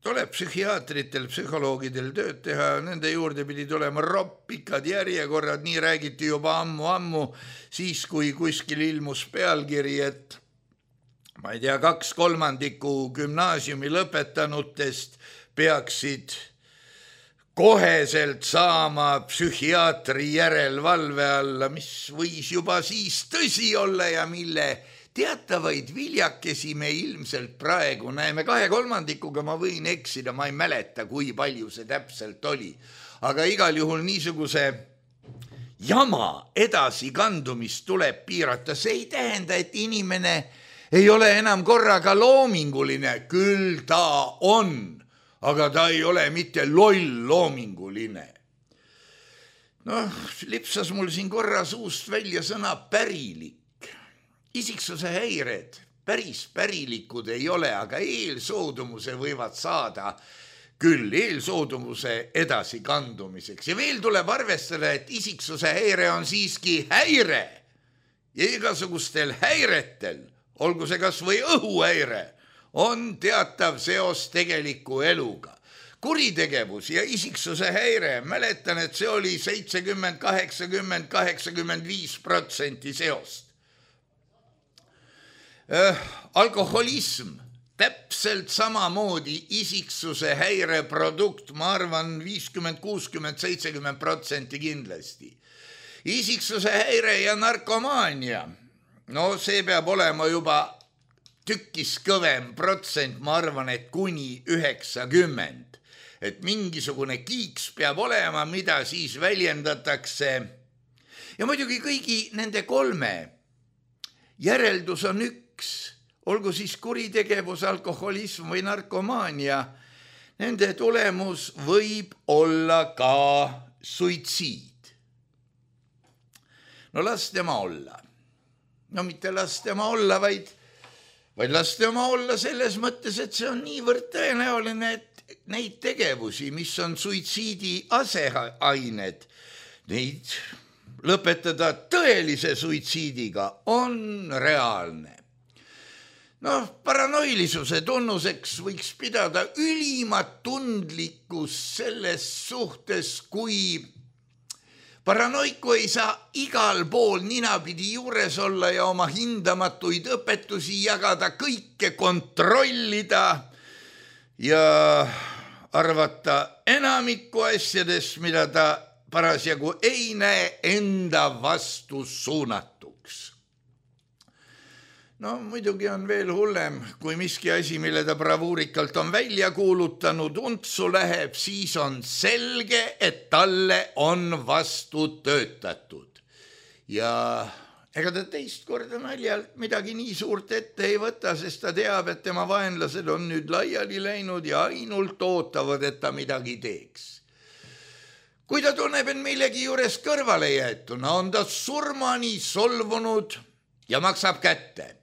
Speaker 3: tuleb psühhiaatritel, psühholoogidel tööd teha, nende juurde pidi tulema ropp, pikad järjekorrad, nii räägiti juba ammu-ammu, siis kui kuskil ilmus pealkiri, et ma ei tea, kaks kolmandiku gümnaasiumi lõpetanutest peaksid koheselt saama psühhiaatri järelevalve alla, mis võis juba siis tõsi olla ja mille teatavaid viljakesi me ilmselt praegu näeme. Kahe kolmandikuga ma võin eksida, ma ei mäleta, kui palju see täpselt oli. Aga igal juhul niisuguse jama edasikandumist tuleb piirata. See ei tähenda, et inimene ei ole enam korraga loominguline, küll ta on, aga ta ei ole mitte loll loominguline. Noh, lipsas mul siin korra suust välja sõna pärilik. Isiksuse häired päris pärilikud ei ole, aga eelsoodumuse võivad saada küll eelsoodumuse edasikandumiseks. Ja veel tuleb arvestada, et isiksuse häire on siiski häire ja igasugustel häiretel, olgu see kas või õhuhäire, on teatav seos tegeliku eluga. Kuritegevus ja isiksuse häire, mäletan, et see oli seitsekümmend, kaheksakümmend, kaheksakümmend viis protsenti seost. Äh, alkoholism, täpselt samamoodi isiksuse häire produkt, ma arvan, viiskümmend, kuuskümmend, seitsekümmend protsenti kindlasti. Isiksuse häire ja narkomaania, no see peab olema juba tükkis kõvem protsent, ma arvan, et kuni üheksakümmend. Et mingisugune kiiks peab olema, mida siis väljendatakse. Ja muidugi kõigi nende kolme järeldus on üks, olgu siis kuritegevus, alkoholism või narkomaania. Nende tulemus võib olla ka suitsiid. No las tema olla. No mitte las tema olla, vaid, vaid las tema olla selles mõttes, et see on niivõrd tõenäoline, et neid tegevusi, mis on suitsiidi aseained, neid lõpetada tõelise suitsiidiga on reaalne. Noh, paranoilisuse tunnuseks võiks pidada ülimat tundlikkus selles suhtes, kui paranoiku ei saa igal pool ninapidi juures olla ja oma hindamatuid õpetusi jagada, kõike kontrollida ja arvata enamikku asjadest, mida ta parasjagu ei näe enda vastu suunatuks. No muidugi on veel hullem, kui miski asi, mille ta bravuurikalt on välja kuulutanud, untsu läheb, siis on selge, et talle on vastu töötatud. Ja ega ta teist korda naljalt midagi nii suurt ette ei võta, sest ta teab, et tema vaenlased on nüüd laiali läinud ja ainult ootavad, et ta midagi teeks. Kui ta tunneb, et millegi juures kõrvale jäetuna, on ta surmani solvunud ja maksab kätte.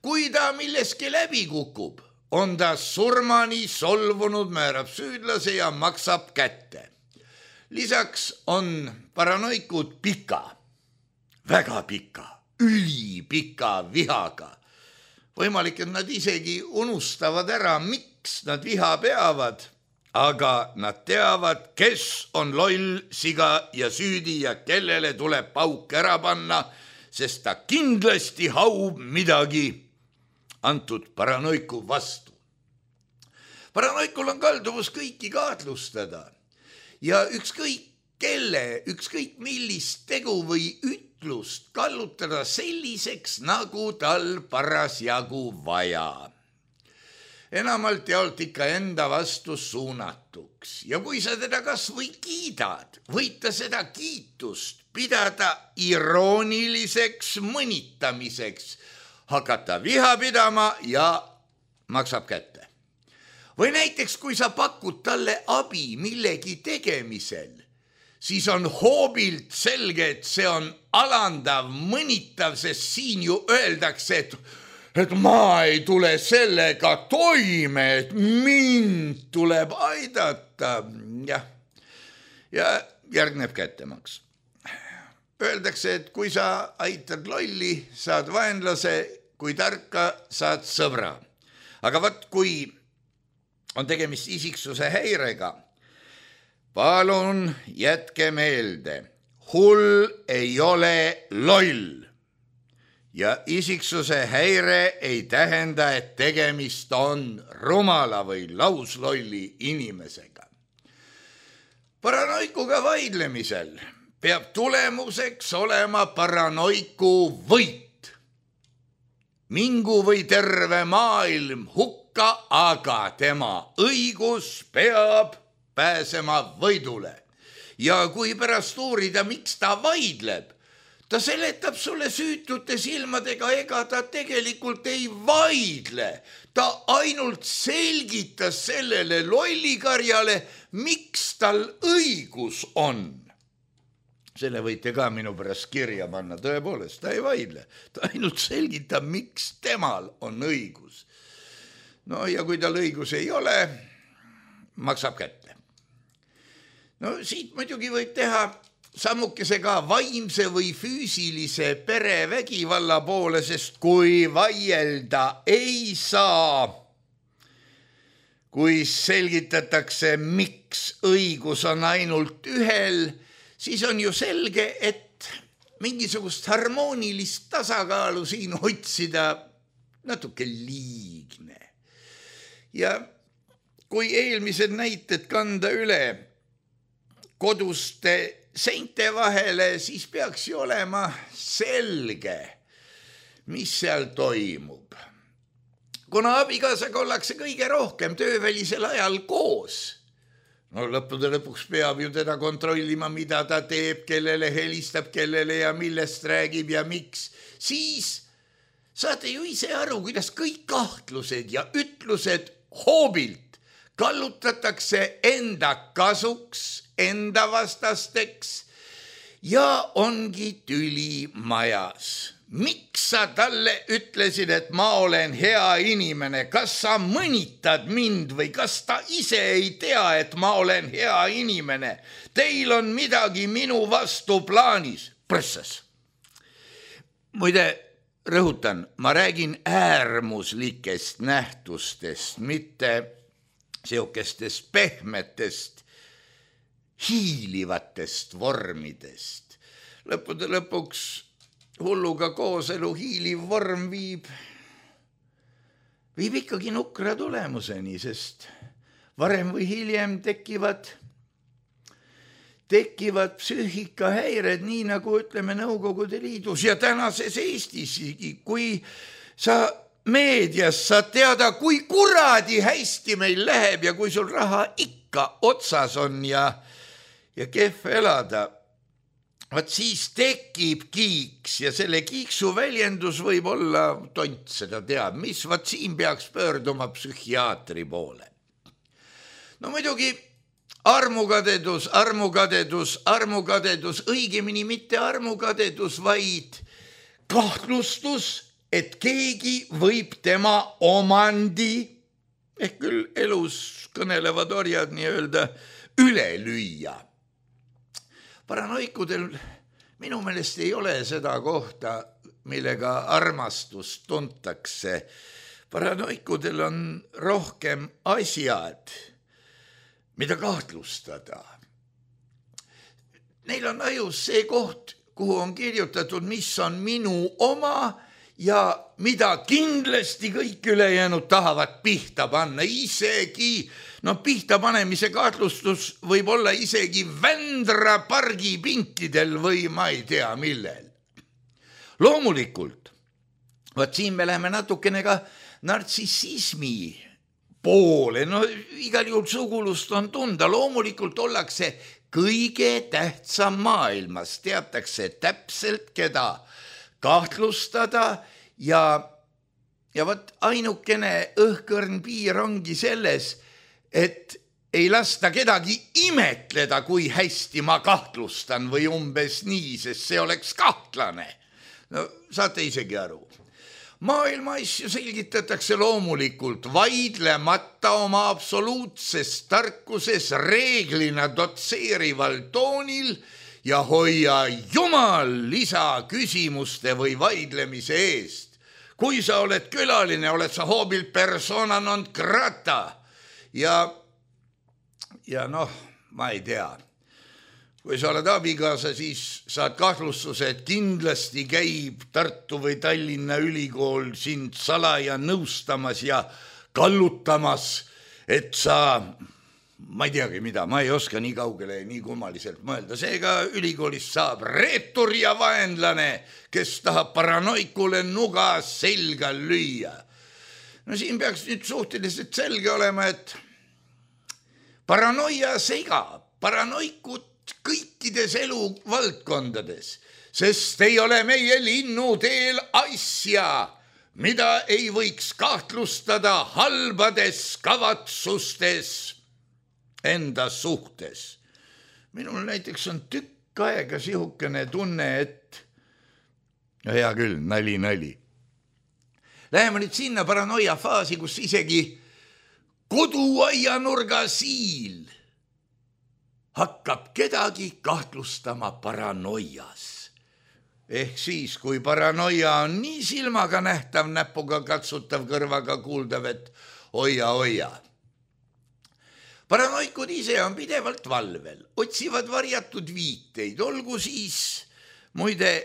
Speaker 3: Kui ta milleski läbi kukub, on ta surmani solvunud, määrab süüdlase ja maksab kätte. Lisaks on paranoikud pika, väga pika, ülipika vihaga. Võimalik, et nad isegi unustavad ära, miks nad viha peavad, aga nad teavad, kes on loll, siga ja süüdi ja kellele tuleb pauk ära panna, sest ta kindlasti haub midagi antud paranoiku vastu. Paranoikul on kalduvus kõiki kaatlustada ja ükskõik kelle, ükskõik millist tegu või ütlust kallutada selliseks, nagu tal parasjagu vaja. Enamalt jaolt ikka enda vastu suunatuks ja kui sa teda kas või kiidad, võid ta seda kiitust pidada irooniliseks mõnitamiseks, hakata viha pidama ja maksab kätte. Või näiteks, kui sa pakud talle abi millegi tegemisel, siis on hoobilt selge, et see on alandav, mõnitav, sest siin ju öeldakse, et, et ma ei tule sellega toime, et mind tuleb aidata. Jah. Ja järgneb kättemaks. Öeldakse, et kui sa aitad lolli, saad vaenlase, kui tarka saad sõbra. Aga vaat, kui on tegemist isiksuse häirega, palun jätke meelde, hull ei ole loll. Ja isiksuse häire ei tähenda, et tegemist on rumala või lauslolli inimesega. Paranoikuga vaidlemisel peab tulemuseks olema paranoiku võit. Mingu või terve maailm hukka, aga tema õigus peab pääsema võidule. Ja kui pärast uurida, miks ta vaidleb, ta seletab sulle süütute silmadega, ega ta tegelikult ei vaidle. Ta ainult selgitas sellele lollikarjale, miks tal õigus on. Selle võite ka minu pärast kirja panna, tõepoolest, ta ei vaidle. Ta ainult selgitab, miks temal on õigus. No ja kui tal õigus ei ole, maksab kätte. No siit muidugi võib teha sammukese ka vaimse või füüsilise perevägivalla poole, sest kui vaielda ei saa, kui selgitatakse, miks õigus on ainult ühel, siis on ju selge, et mingisugust harmoonilist tasakaalu siin otsida natuke liigne. Ja kui eelmised näited kanda üle koduste seinte vahele, siis peaks ju olema selge, mis seal toimub. Kuna abikaasaga ollakse kõige rohkem töövälisel ajal koos, no lõppude lõpuks peab ju teda kontrollima, mida ta teeb, kellele helistab, kellele ja millest räägib ja miks. Siis saate ju ise aru, kuidas kõik kahtlused ja ütlused hoobilt kallutatakse enda kasuks, enda vastasteks ja ongi tüli majas. Miks sa talle ütlesid, et ma olen hea inimene? Kas sa mõnitad mind või kas ta ise ei tea, et ma olen hea inimene? Teil on midagi minu vastu plaanis. Prõssas. Muide, rõhutan, ma räägin äärmuslikest nähtustest, mitte seokestest pehmetest, hiilivatest vormidest. Lõppude lõpuks hulluga kooselu hiiliv vorm viib, viib ikkagi nukra tulemuseni, sest varem või hiljem tekivad, tekivad psüühikahäired, nii nagu ütleme Nõukogude Liidus ja tänases Eestis, kui sa meedias saad teada, kui kuradi hästi meil läheb ja kui sul raha ikka otsas on ja, ja kehv elada, vaat siis tekib kiiks ja selle kiiksu väljendus võib olla, tont seda teab, mis, vaat siin peaks pöörduma psühhiaatri poole. No muidugi armukadedus, armukadedus, armukadedus, õigemini mitte armukadedus, vaid kahtlustus, et keegi võib tema omandi, ehk küll elus kõnelevad orjad nii-öelda, üle lüüa. Paranoikudel minu meelest ei ole seda kohta, millega armastust tuntakse. Paranoikudel on rohkem asjad, mida kahtlustada. Neil on ajus see koht, kuhu on kirjutatud, mis on minu oma ja mida kindlasti kõik ülejäänud tahavad pihta panna. Isegi, no pihta panemise kahtlustus võib olla isegi Vändra pargi pinkidel või ma ei tea millel. Loomulikult, vaat siin me läheme natukene ka nartsissismi poole, no igal juhul sugulust on tunda, loomulikult ollakse kõige tähtsam maailmas, teatakse täpselt, keda kahtlustada ja, ja võt ainukene õhkõrn piir ongi selles, et ei lasta kedagi imetleda, kui hästi ma kahtlustan või umbes nii, sest see oleks kahtlane. No saate isegi aru. Maailma asju selgitatakse loomulikult vaidlemata oma absoluutses tarkuses reeglina dotseerival toonil ja hoia jumal lisaküsimuste või vaidlemise eest. Kui sa oled külaline, oled sa hoobil persona non grata ja, ja noh, ma ei tea. Kui sa oled abikaasa, siis saad kahtlustuse, et kindlasti käib Tartu või Tallinna ülikool sind salaja nõustamas ja kallutamas, et sa, ma ei teagi mida, ma ei oska nii kaugele ja nii kummaliselt mõelda. Seega ülikoolist saab reetur ja vaenlane, kes tahab paranoikule nuga selga lüüa. No siin peaks nüüd suhteliselt selge olema, et paranoia segab, paranoikut kõikides eluvaldkondades, sest ei ole meie linnuteel asja, mida ei võiks kahtlustada halbades kavatsustes enda suhtes. Minul näiteks on tükk aega sihukene tunne, et no hea küll, nali, nali. Läheme nüüd sinna paranoia faasi, kus isegi koduaianurga siil hakkab kedagi kahtlustama paranoias. Ehk siis, kui paranoia on nii silmaga nähtav, näpuga katsutav, kõrvaga kuuldav, et oia, oia. Paranoikud ise on pidevalt valvel, otsivad varjatud viiteid, olgu siis, muide,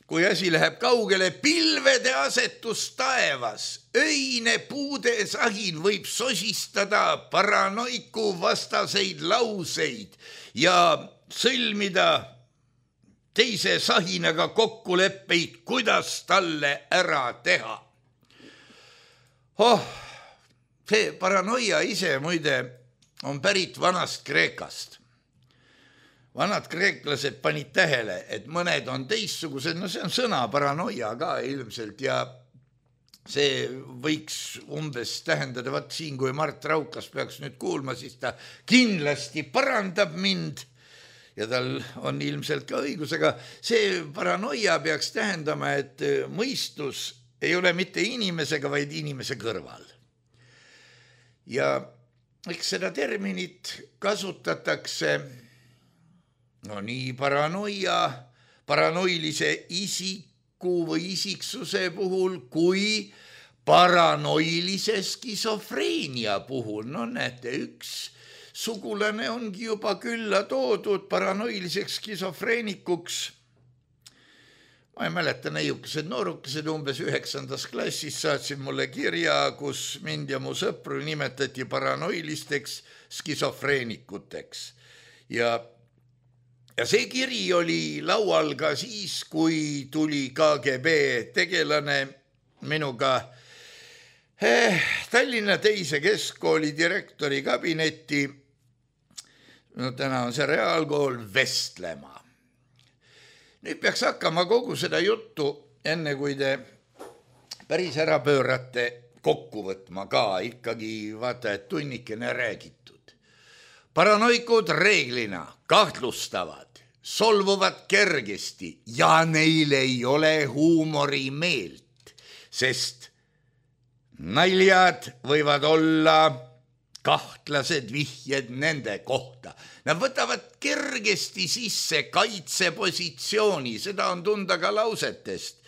Speaker 3: kui asi läheb kaugele, pilvede asetus taevas, öine puude sahin võib sosistada paranoiku vastaseid lauseid ja sõlmida teise sahinaga kokkuleppeid, kuidas talle ära teha. Oh, see paranoia ise muide on pärit vanast Kreekast. Vanad kreeklased panid tähele, et mõned on teistsugused, no see on sõna paranoia ka ilmselt ja see võiks umbes tähendada, vaat siin, kui Mart Raukas peaks nüüd kuulma, siis ta kindlasti parandab mind ja tal on ilmselt ka õigus, aga see paranoia peaks tähendama, et mõistus ei ole mitte inimesega, vaid inimese kõrval. Ja eks seda terminit kasutatakse no nii paranoia, paranoilise isiku või isiksuse puhul kui paranoilise skisofreenia puhul. No näete, üks sugulane ongi juba külla toodud paranoiliseks skisofreenikuks. ma ei mäleta, neiukesed noorukesed umbes üheksandas klassis saatsid mulle kirja, kus mind ja mu sõpru nimetati paranoilisteks skisofreenikuteks. Ja, ja see kiri oli laual ka siis, kui tuli K G B tegelane minuga eh, Tallinna teise keskkooli direktori kabinetti, no täna on see reaalkool, vestlema. Nüüd peaks hakkama kogu seda juttu, enne kui te päris ära pöörate, kokku võtma ka, ikkagi vaata, et tunnikene räägitud. Paranoikud reeglina kahtlustavad, solvuvad kergesti ja neil ei ole huumorimeelt, sest naljad võivad olla kahtlased vihjed nende kohta. Nad võtavad kergesti sisse kaitsepositsiooni, seda on tunda ka lausetest.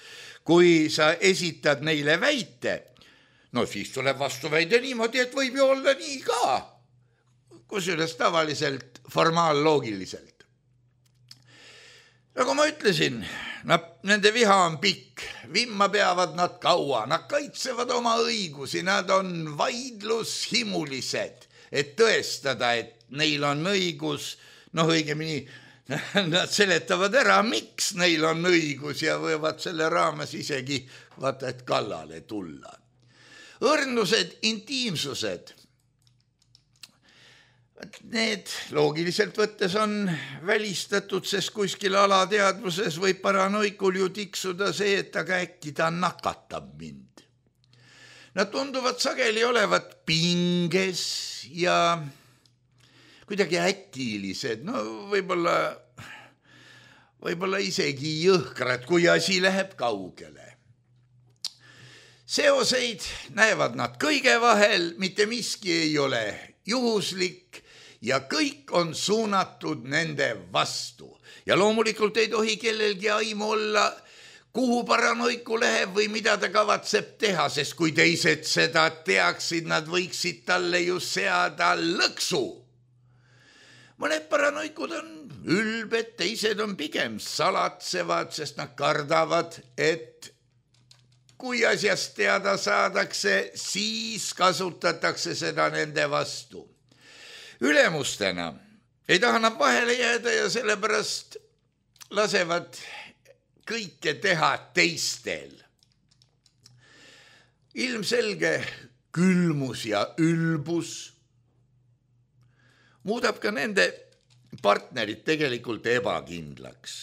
Speaker 3: Kui sa esitad neile väite, no siis tuleb vastuväide niimoodi, et võib ju olla nii ka, kusjuures tavaliselt formaalloogiliselt. Nagu ma ütlesin, nad, nende viha on pikk, vimma peavad nad kaua, nad kaitsevad oma õigusi, nad on vaidlushimulised, et tõestada, et neil on õigus, noh õigemini, nad seletavad ära, miks neil on õigus ja võivad selle raames isegi vaata, et kallale tulla. Õrnused, intiimsused, need loogiliselt võttes on välistatud, sest kuskil alateadvuses võib paranoikul ju tiksuda see, et aga äkki ta nakatab mind. Nad tunduvad sageli olevat pinges ja kuidagi äkilised, no võib-olla, võib-olla isegi jõhkrad, kui asi läheb kaugele. Seoseid näevad nad kõige vahel, mitte miski ei ole juhuslik ja kõik on suunatud nende vastu. Ja loomulikult ei tohi kellelgi aimu olla, kuhu paranoiku läheb või mida ta kavatseb teha, sest kui teised seda teaksid, nad võiksid talle ju seada lõksu. Mõned paranoikud on ülbed, teised on pigem salatsevad, sest nad kardavad, et kui asjast teada saadakse, siis kasutatakse seda nende vastu. Ülemustena ei taha nad vahele jääda ja sellepärast lasevad kõike teha teistel. Ilmselge külmus ja ülbus muudab ka nende partnerid tegelikult ebakindlaks.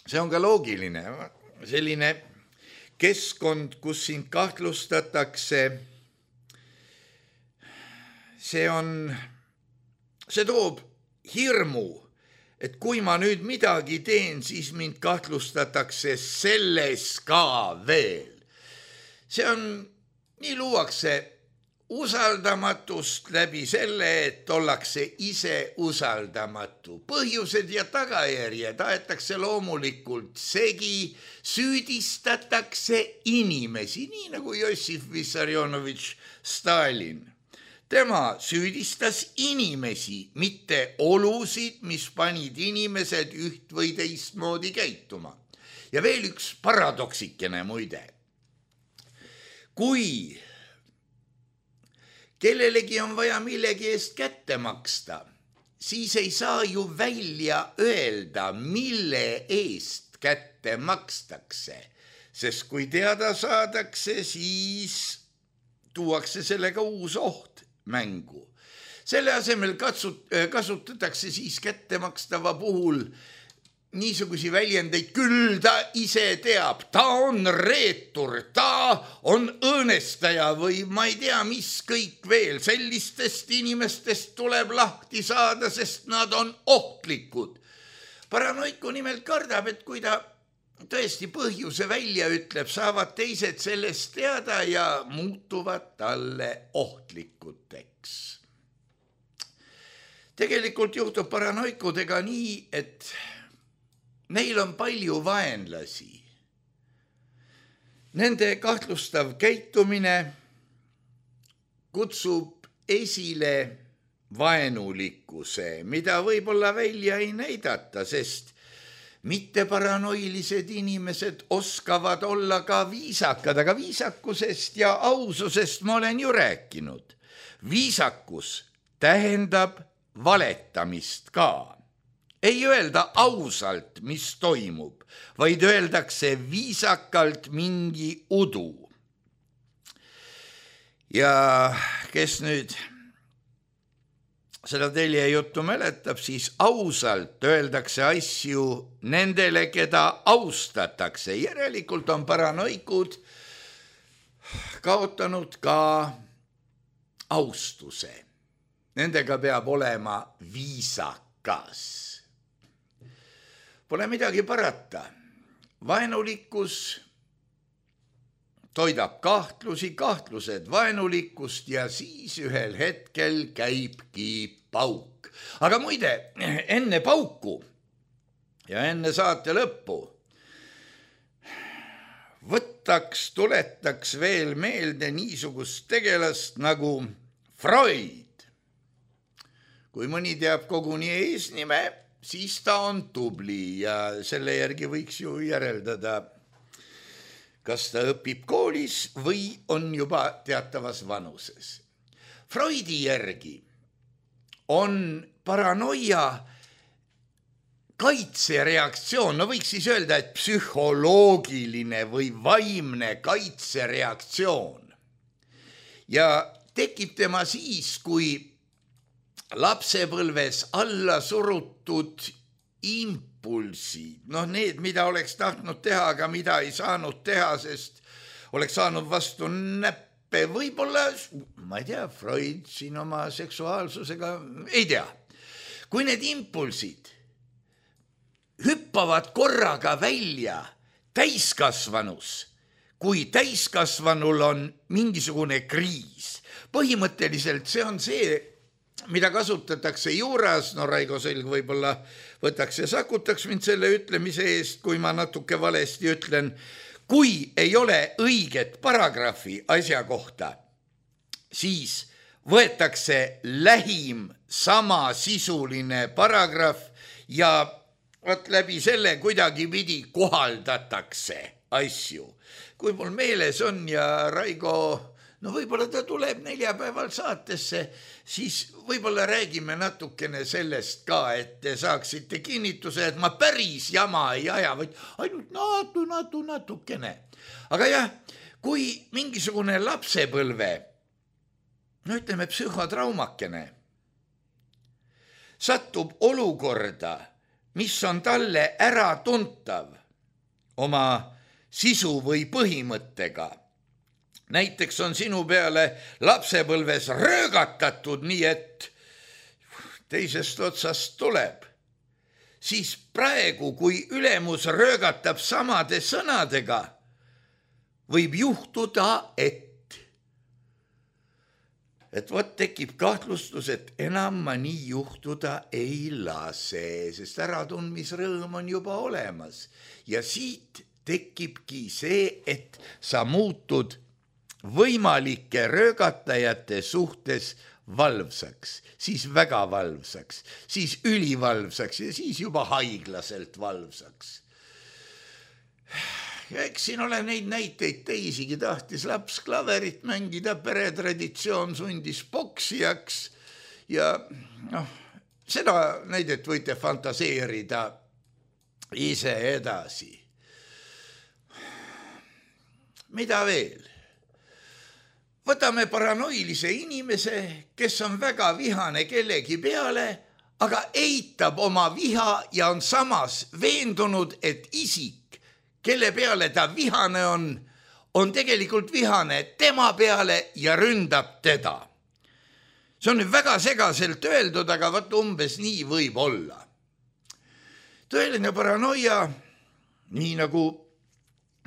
Speaker 3: See on ka loogiline, selline keskkond, kus sind kahtlustatakse, see on, see toob hirmu, et kui ma nüüd midagi teen, siis mind kahtlustatakse selles ka veel. See on, nii luuakse usaldamatust läbi selle, et ollakse ise usaldamatu. Põhjused ja tagajärjed aetakse loomulikult segi, süüdistatakse inimesi, nii nagu Jossif Vissarionovitš Stalin. Tema süüdistas inimesi, mitte olusid, mis panid inimesed üht või teistmoodi käituma. Ja veel üks paradoksikene muide. Kui kellelegi on vaja millegi eest kätte maksta, siis ei saa ju välja öelda, mille eest kätte makstakse, sest kui teada saadakse, siis tuuakse sellega uus oht mängu. Selle asemel katsut, kasutatakse siis kättemakstava puhul niisugusi väljendeid, küll ta ise teab, ta on reetur, ta on õõnestaja või ma ei tea, mis kõik veel. Sellistest inimestest tuleb lahti saada, sest nad on ohtlikud. Paranoiku nimelt kardab, et kui ta tõesti põhjuse välja ütleb, saavad teised sellest teada ja muutuvad talle ohtlikuteks. Tegelikult juhtub paranoikudega nii, et neil on palju vaenlasi. Nende kahtlustav käitumine kutsub esile vaenulikkuse, mida võib-olla välja ei näidata, sest mitte paranoilised inimesed oskavad olla ka viisakad, aga viisakusest ja aususest ma olen ju rääkinud. Viisakus tähendab valetamist ka. Ei öelda ausalt, mis toimub, vaid öeldakse viisakalt mingi udu. Ja kes nüüd seda telje juttu mäletab, siis ausalt öeldakse asju nendele, keda austatakse. Järelikult on paranoikud kaotanud ka austuse. Nendega peab olema viisakas. Pole midagi parata. Vaenulikkus toidab kahtlusi, kahtlused vaenulikkust ja siis ühel hetkel käibki pauk. Aga muide, enne pauku ja enne saate lõppu võtaks, tuletaks veel meelde niisugust tegelast nagu Freud. Kui mõni teab koguni eesnime, siis ta on tubli ja selle järgi võiks ju järeldada, kas ta õpib koolis või on juba teatavas vanuses. Freudi järgi on paranoia kaitsereaktsioon, no võiks siis öelda, et psühholoogiline või vaimne kaitsereaktsioon. Ja tekib tema siis, kui lapsepõlves alla surutud impulsid, noh need, mida oleks tahtnud teha, aga mida ei saanud teha, sest oleks saanud vastu näppe, võib-olla, ma ei tea, Freud siin oma seksuaalsusega, ei tea. Kui need impulsid hüppavad korraga välja täiskasvanus, kui täiskasvanul on mingisugune kriis, põhimõtteliselt see on see, mida kasutatakse juuras, no Raigo Selg võib-olla võtaks ja sakutaks mind selle ütlemise eest, kui ma natuke valesti ütlen, kui ei ole õiget paragrahvi asja kohta, siis võetakse lähim samasisuline paragrahv ja võt läbi selle kuidagi pidi kohaldatakse asju. Kui mul meeles on ja Raigo, no võib-olla ta tuleb neljapäeval saatesse, siis võib-olla räägime natukene sellest ka, et te saaksite kinnituse, et ma päris jama ei aja, vaid ainult natu, natu, natukene. Aga jah, kui mingisugune lapsepõlve, no ütleme psühhotraumakene, satub olukorda, mis on talle äratuntav oma sisu või põhimõttega, näiteks on sinu peale lapsepõlves röögatatud nii, et teisest otsast tuleb, siis praegu, kui ülemus röögatab samade sõnadega, võib juhtuda, et, et võt tekib kahtlustus, et enam ma nii juhtuda ei lase, sest äratundmisrõõm on juba olemas. Ja siit tekibki see, et sa muutud võimalike röögatajate suhtes valvsaks, siis väga valvsaks, siis ülivalvsaks ja siis juba haiglaselt valvsaks. Ja eks siin ole neid näiteid teisigi, tahtis laps klaverit mängida, peretraditsioon sundis poksijaks ja noh, seda näidet võite fantaseerida ise edasi. Mida veel? Võtame paranoilise inimese, kes on väga vihane kellegi peale, aga eitab oma viha ja on samas veendunud, et isik, kelle peale ta vihane on, on tegelikult vihane tema peale ja ründab teda. See on nüüd väga segaselt öeldud, aga võt umbes nii võib olla. Tõeline paranoia, nii nagu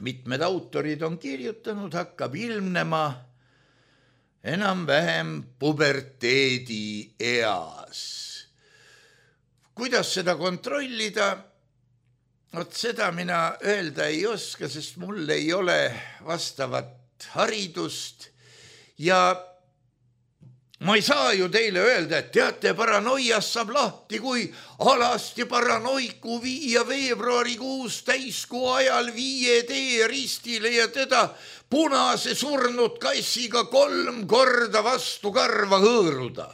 Speaker 3: mitmed autorid on kirjutanud, hakkab ilmnema enam-vähem puberteedi eas. Kuidas seda kontrollida? Vot seda mina öelda ei oska, sest mul ei ole vastavat haridust ja ma ei saa ju teile öelda, et teate, paranoiast saab lahti, kui alasti paranoiku viia veebruarikuus täiskuu ajal viie tee ristile ja teda punase surnud kassiga kolm korda vastu karva hõõruda.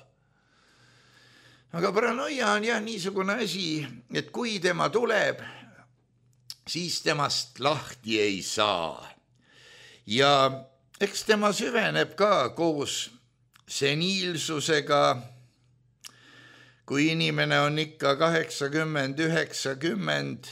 Speaker 3: Aga paranoia on jah niisugune asi, et kui tema tuleb, siis temast lahti ei saa. Ja eks tema süveneb ka koos seniilsusega, kui inimene on ikka kaheksakümmend, üheksakümmend,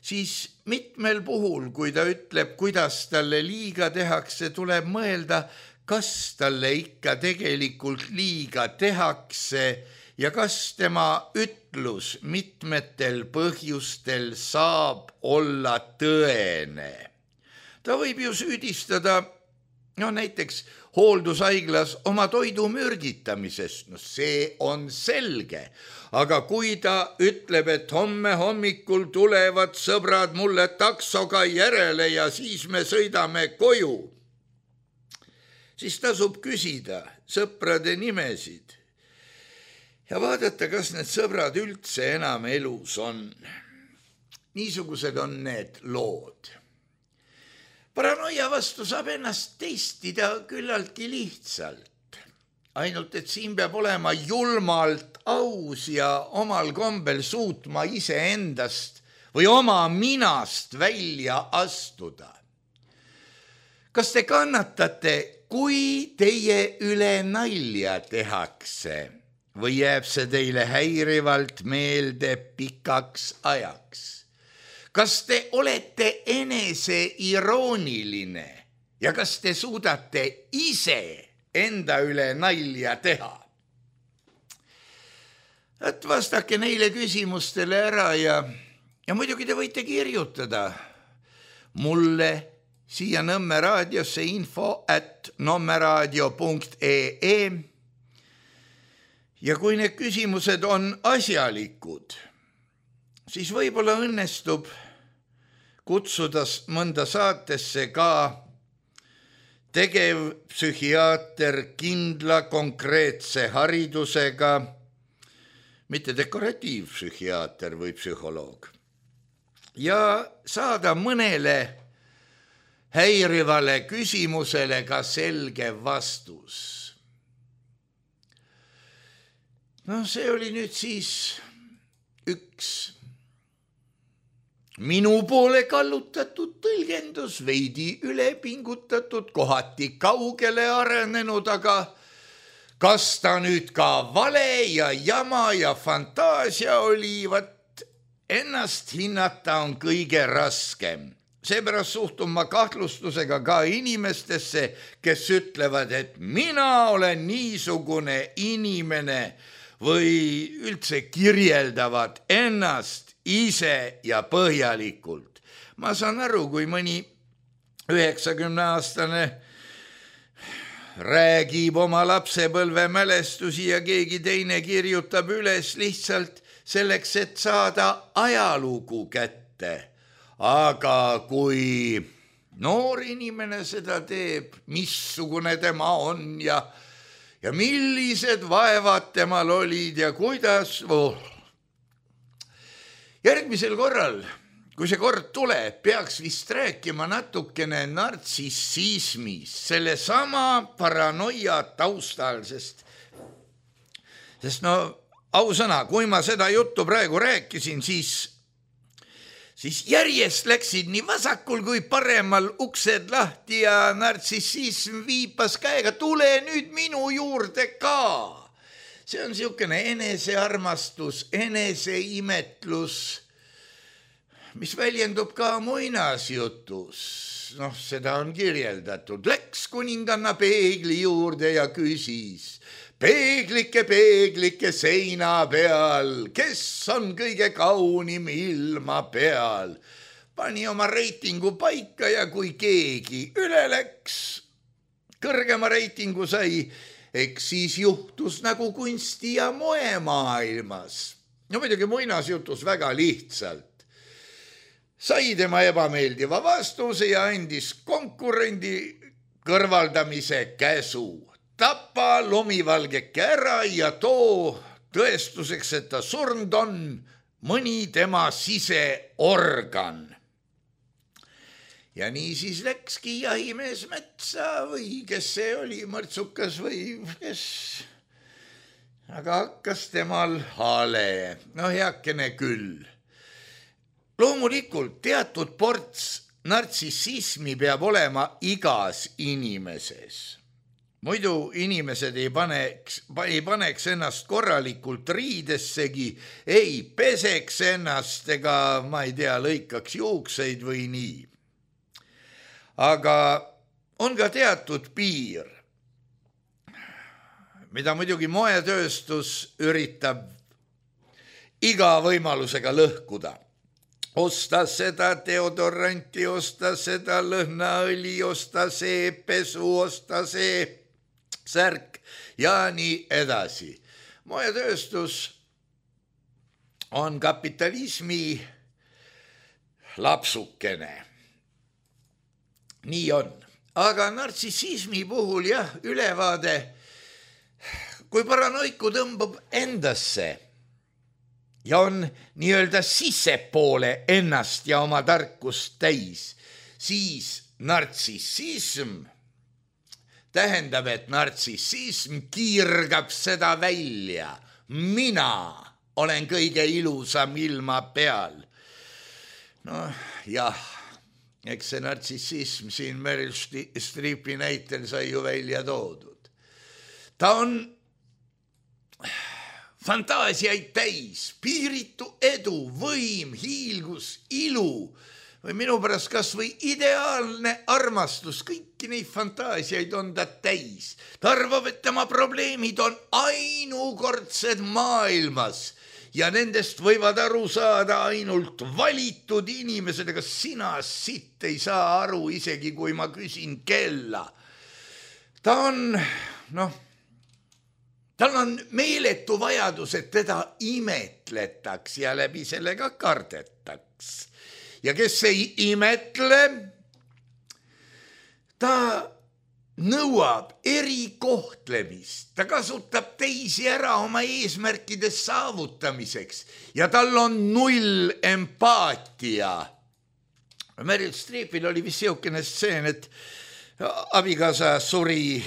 Speaker 3: siis mitmel puhul, kui ta ütleb, kuidas talle liiga tehakse, tuleb mõelda, kas talle ikka tegelikult liiga tehakse ja kas tema ütlus mitmetel põhjustel saab olla tõene. Ta võib ju süüdistada, no näiteks hooldushaiglas oma toidu mürgitamisest, no see on selge, aga kui ta ütleb, et homme hommikul tulevad sõbrad mulle taksoga järele ja siis me sõidame koju, siis tasub küsida sõprade nimesid ja vaadata, kas need sõbrad üldse enam elus on. Niisugused on need lood. Paranoia vastu saab ennast testida küllaltki lihtsalt. Ainult, et siin peab olema julmalt aus ja omal kombel suutma ise endast või oma minast välja astuda. Kas te kannatate, kui teie üle nalja tehakse või jääb see teile häirivalt meelde pikaks ajaks? Kas te olete enese irooniline ja kas te suudate ise enda üle nalja teha? Et vastake neile küsimustele ära ja, ja muidugi te võite kirjutada mulle siia Nõmme raadiosse info at nommeraadio punkt ee ja kui need küsimused on asjalikud, siis võib-olla õnnestub kutsuda mõnda saatesse ka tegevpsühhiaater kindla konkreetse haridusega, mitte dekoratiivpsühhiaater või psühholoog, ja saada mõnele häirivale küsimusele ka selge vastus. No see oli nüüd siis üks minu poole kallutatud tõlgendus, veidi ülepingutatud, kohati kaugele arenenud, aga kas ta nüüd ka vale ja jama ja fantaasia oli, vat ennast hinnata on kõige raskem. Seepärast suhtun ma kahtlustusega ka inimestesse, kes ütlevad, et mina olen niisugune inimene või üldse kirjeldavad ennast ise ja põhjalikult. Ma saan aru, kui mõni üheksakümneaastane räägib oma lapsepõlve mälestusi ja keegi teine kirjutab üles lihtsalt selleks, et saada ajalugu kätte. Aga kui noor inimene seda teeb, missugune tema on ja, ja millised vaevad temal olid ja kuidas... Oh. Järgmisel korral, kui see kord tuleb, peaks vist rääkima natukene nartsissismis, selle sama paranoia taustal, sest, sest no ausõna, kui ma seda juttu praegu rääkisin, siis, siis järjest läksid nii vasakul kui paremal uksed lahti ja nartsissism viipas käega, tule nüüd minu juurde ka. See on niisugune enesearmastus, eneseimetlus, mis väljendub ka muinasjutus. Noh, seda on kirjeldatud. Läks kuninganna peegli juurde ja küsis, peeglike, peeglike seina peal, kes on kõige kaunim ilma peal? Pani oma reitingu paika ja kui keegi üle läks, kõrgema reitingu sai, eks siis juhtus nagu kunsti- ja moemaailmas. No muidugi muinasjutus väga lihtsalt. Sai tema ebameeldiva vastuse ja andis konkurendi kõrvaldamise käsu. tapa lumivalgeke ära ja too tõestuseks, et ta surnud on, mõni tema siseorgan. Ja nii siis läkski jahimees metsa või kes see oli, mõrtsukas või kes, aga hakkas temal hale, no heakene küll. Loomulikult teatud ports nartsissismi peab olema igas inimeses. Muidu inimesed ei paneks, ei paneks ennast korralikult riidessegi, ei peseks ennast ega, ma ei tea, lõikaks juukseid või nii. Aga on ka teatud piir, mida muidugi moetööstus üritab iga võimalusega lõhkuda. Osta seda deodoranti, osta seda lõhnaõli, osta see pesu, osta see särk ja nii edasi. Moetööstus on kapitalismi lapsukene. Nii on. Aga nartsissismi puhul jah, ülevaade, kui paranoiku tõmbab endasse ja on nii-öelda sissepoole ennast ja oma tarkust täis, siis nartsissism tähendab, et nartsissism kiirgab seda välja. Mina olen kõige ilusam ilma peal. No jah, eks see nartsissism siin Meryl Streepi näitel sai ju välja toodud. Ta on fantaasiaid täis, piiritu edu, võim, hiilgus, ilu või minu pärast kas või ideaalne armastus, kõiki neid fantaasiaid on ta täis. Ta arvab, et tema probleemid on ainukordsed maailmas ja nendest võivad aru saada ainult valitud inimesed, ega sina sitt ei saa aru, isegi kui ma küsin kella. Ta on, noh, tal on meeletu vajadus, et teda imetletaks ja läbi sellega kardetaks. Ja kes ei imetle, ta nõuab erikohtlemist, ta kasutab teisi ära oma eesmärkide saavutamiseks ja tal on null empaatia. Meryl Streepil oli vist siukene stseen, et abikaasa suri,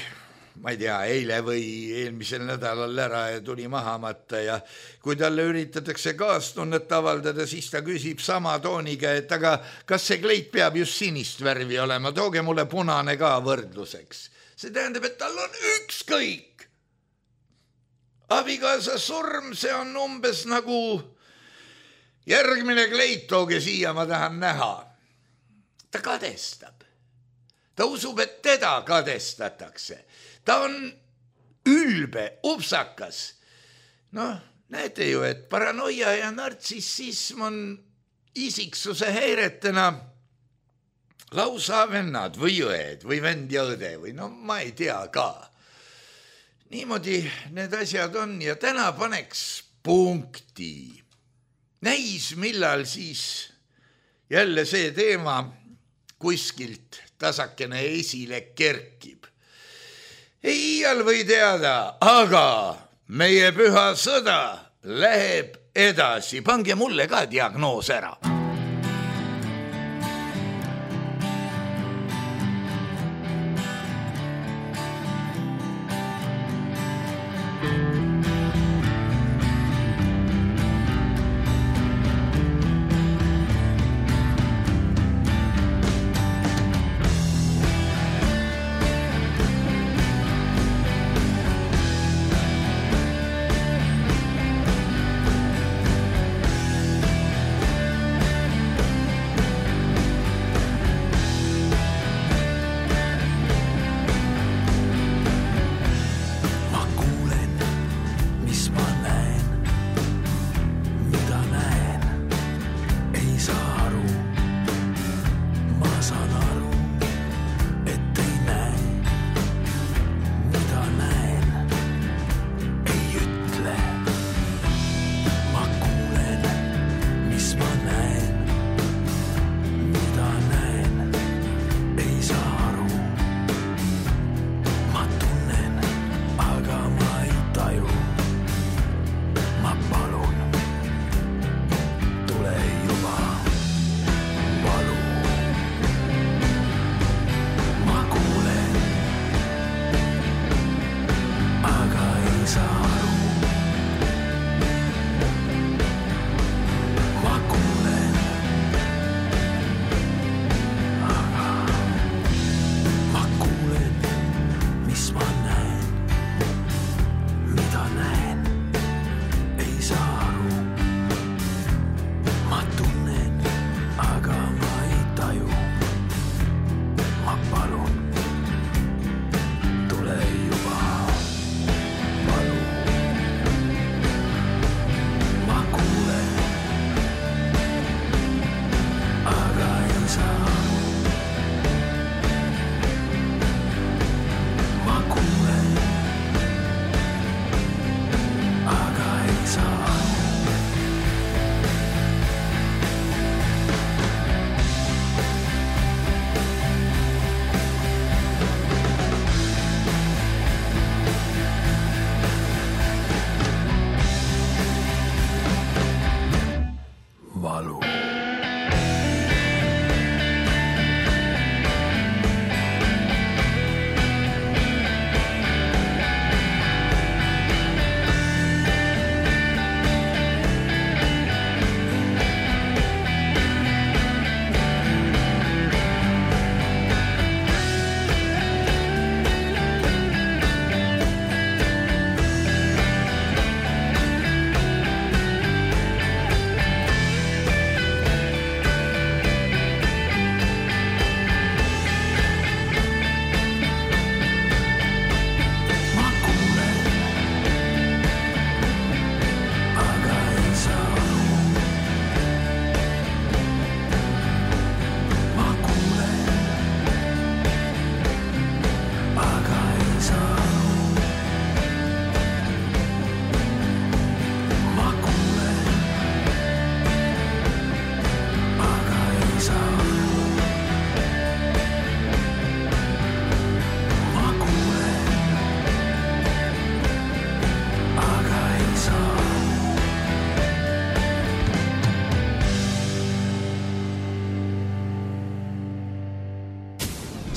Speaker 3: ma ei tea, eile või eelmisel nädalal ära ja tuli maha matta ja kui talle üritatakse kaastunnet avaldada, siis ta küsib sama tooniga, et aga kas see kleit peab just sinist värvi olema, tooge mulle punane ka võrdluseks. See tähendab, et tal on ükskõik. Abikaasa surm, see on umbes nagu järgmine kleit, tooge siia, ma tahan näha. Ta kadestab. Ta usub, et teda kadestatakse. Ta on ülbe, upsakas. Noh, näete ju, et paranoia ja nartsissism on isiksuse häiretena lausa vennad või õed või vend ja õde või no ma ei tea ka. Niimoodi need asjad on ja täna paneks punkti. Näis, millal siis jälle see teema kuskilt tasakene esile kerkib. Ei iial või teada, aga meie püha sõda läheb edasi. Pange mulle ka diagnoos ära.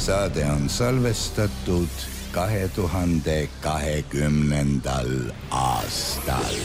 Speaker 2: saade on salvestatud kahe tuhande kahekümnendal aastal.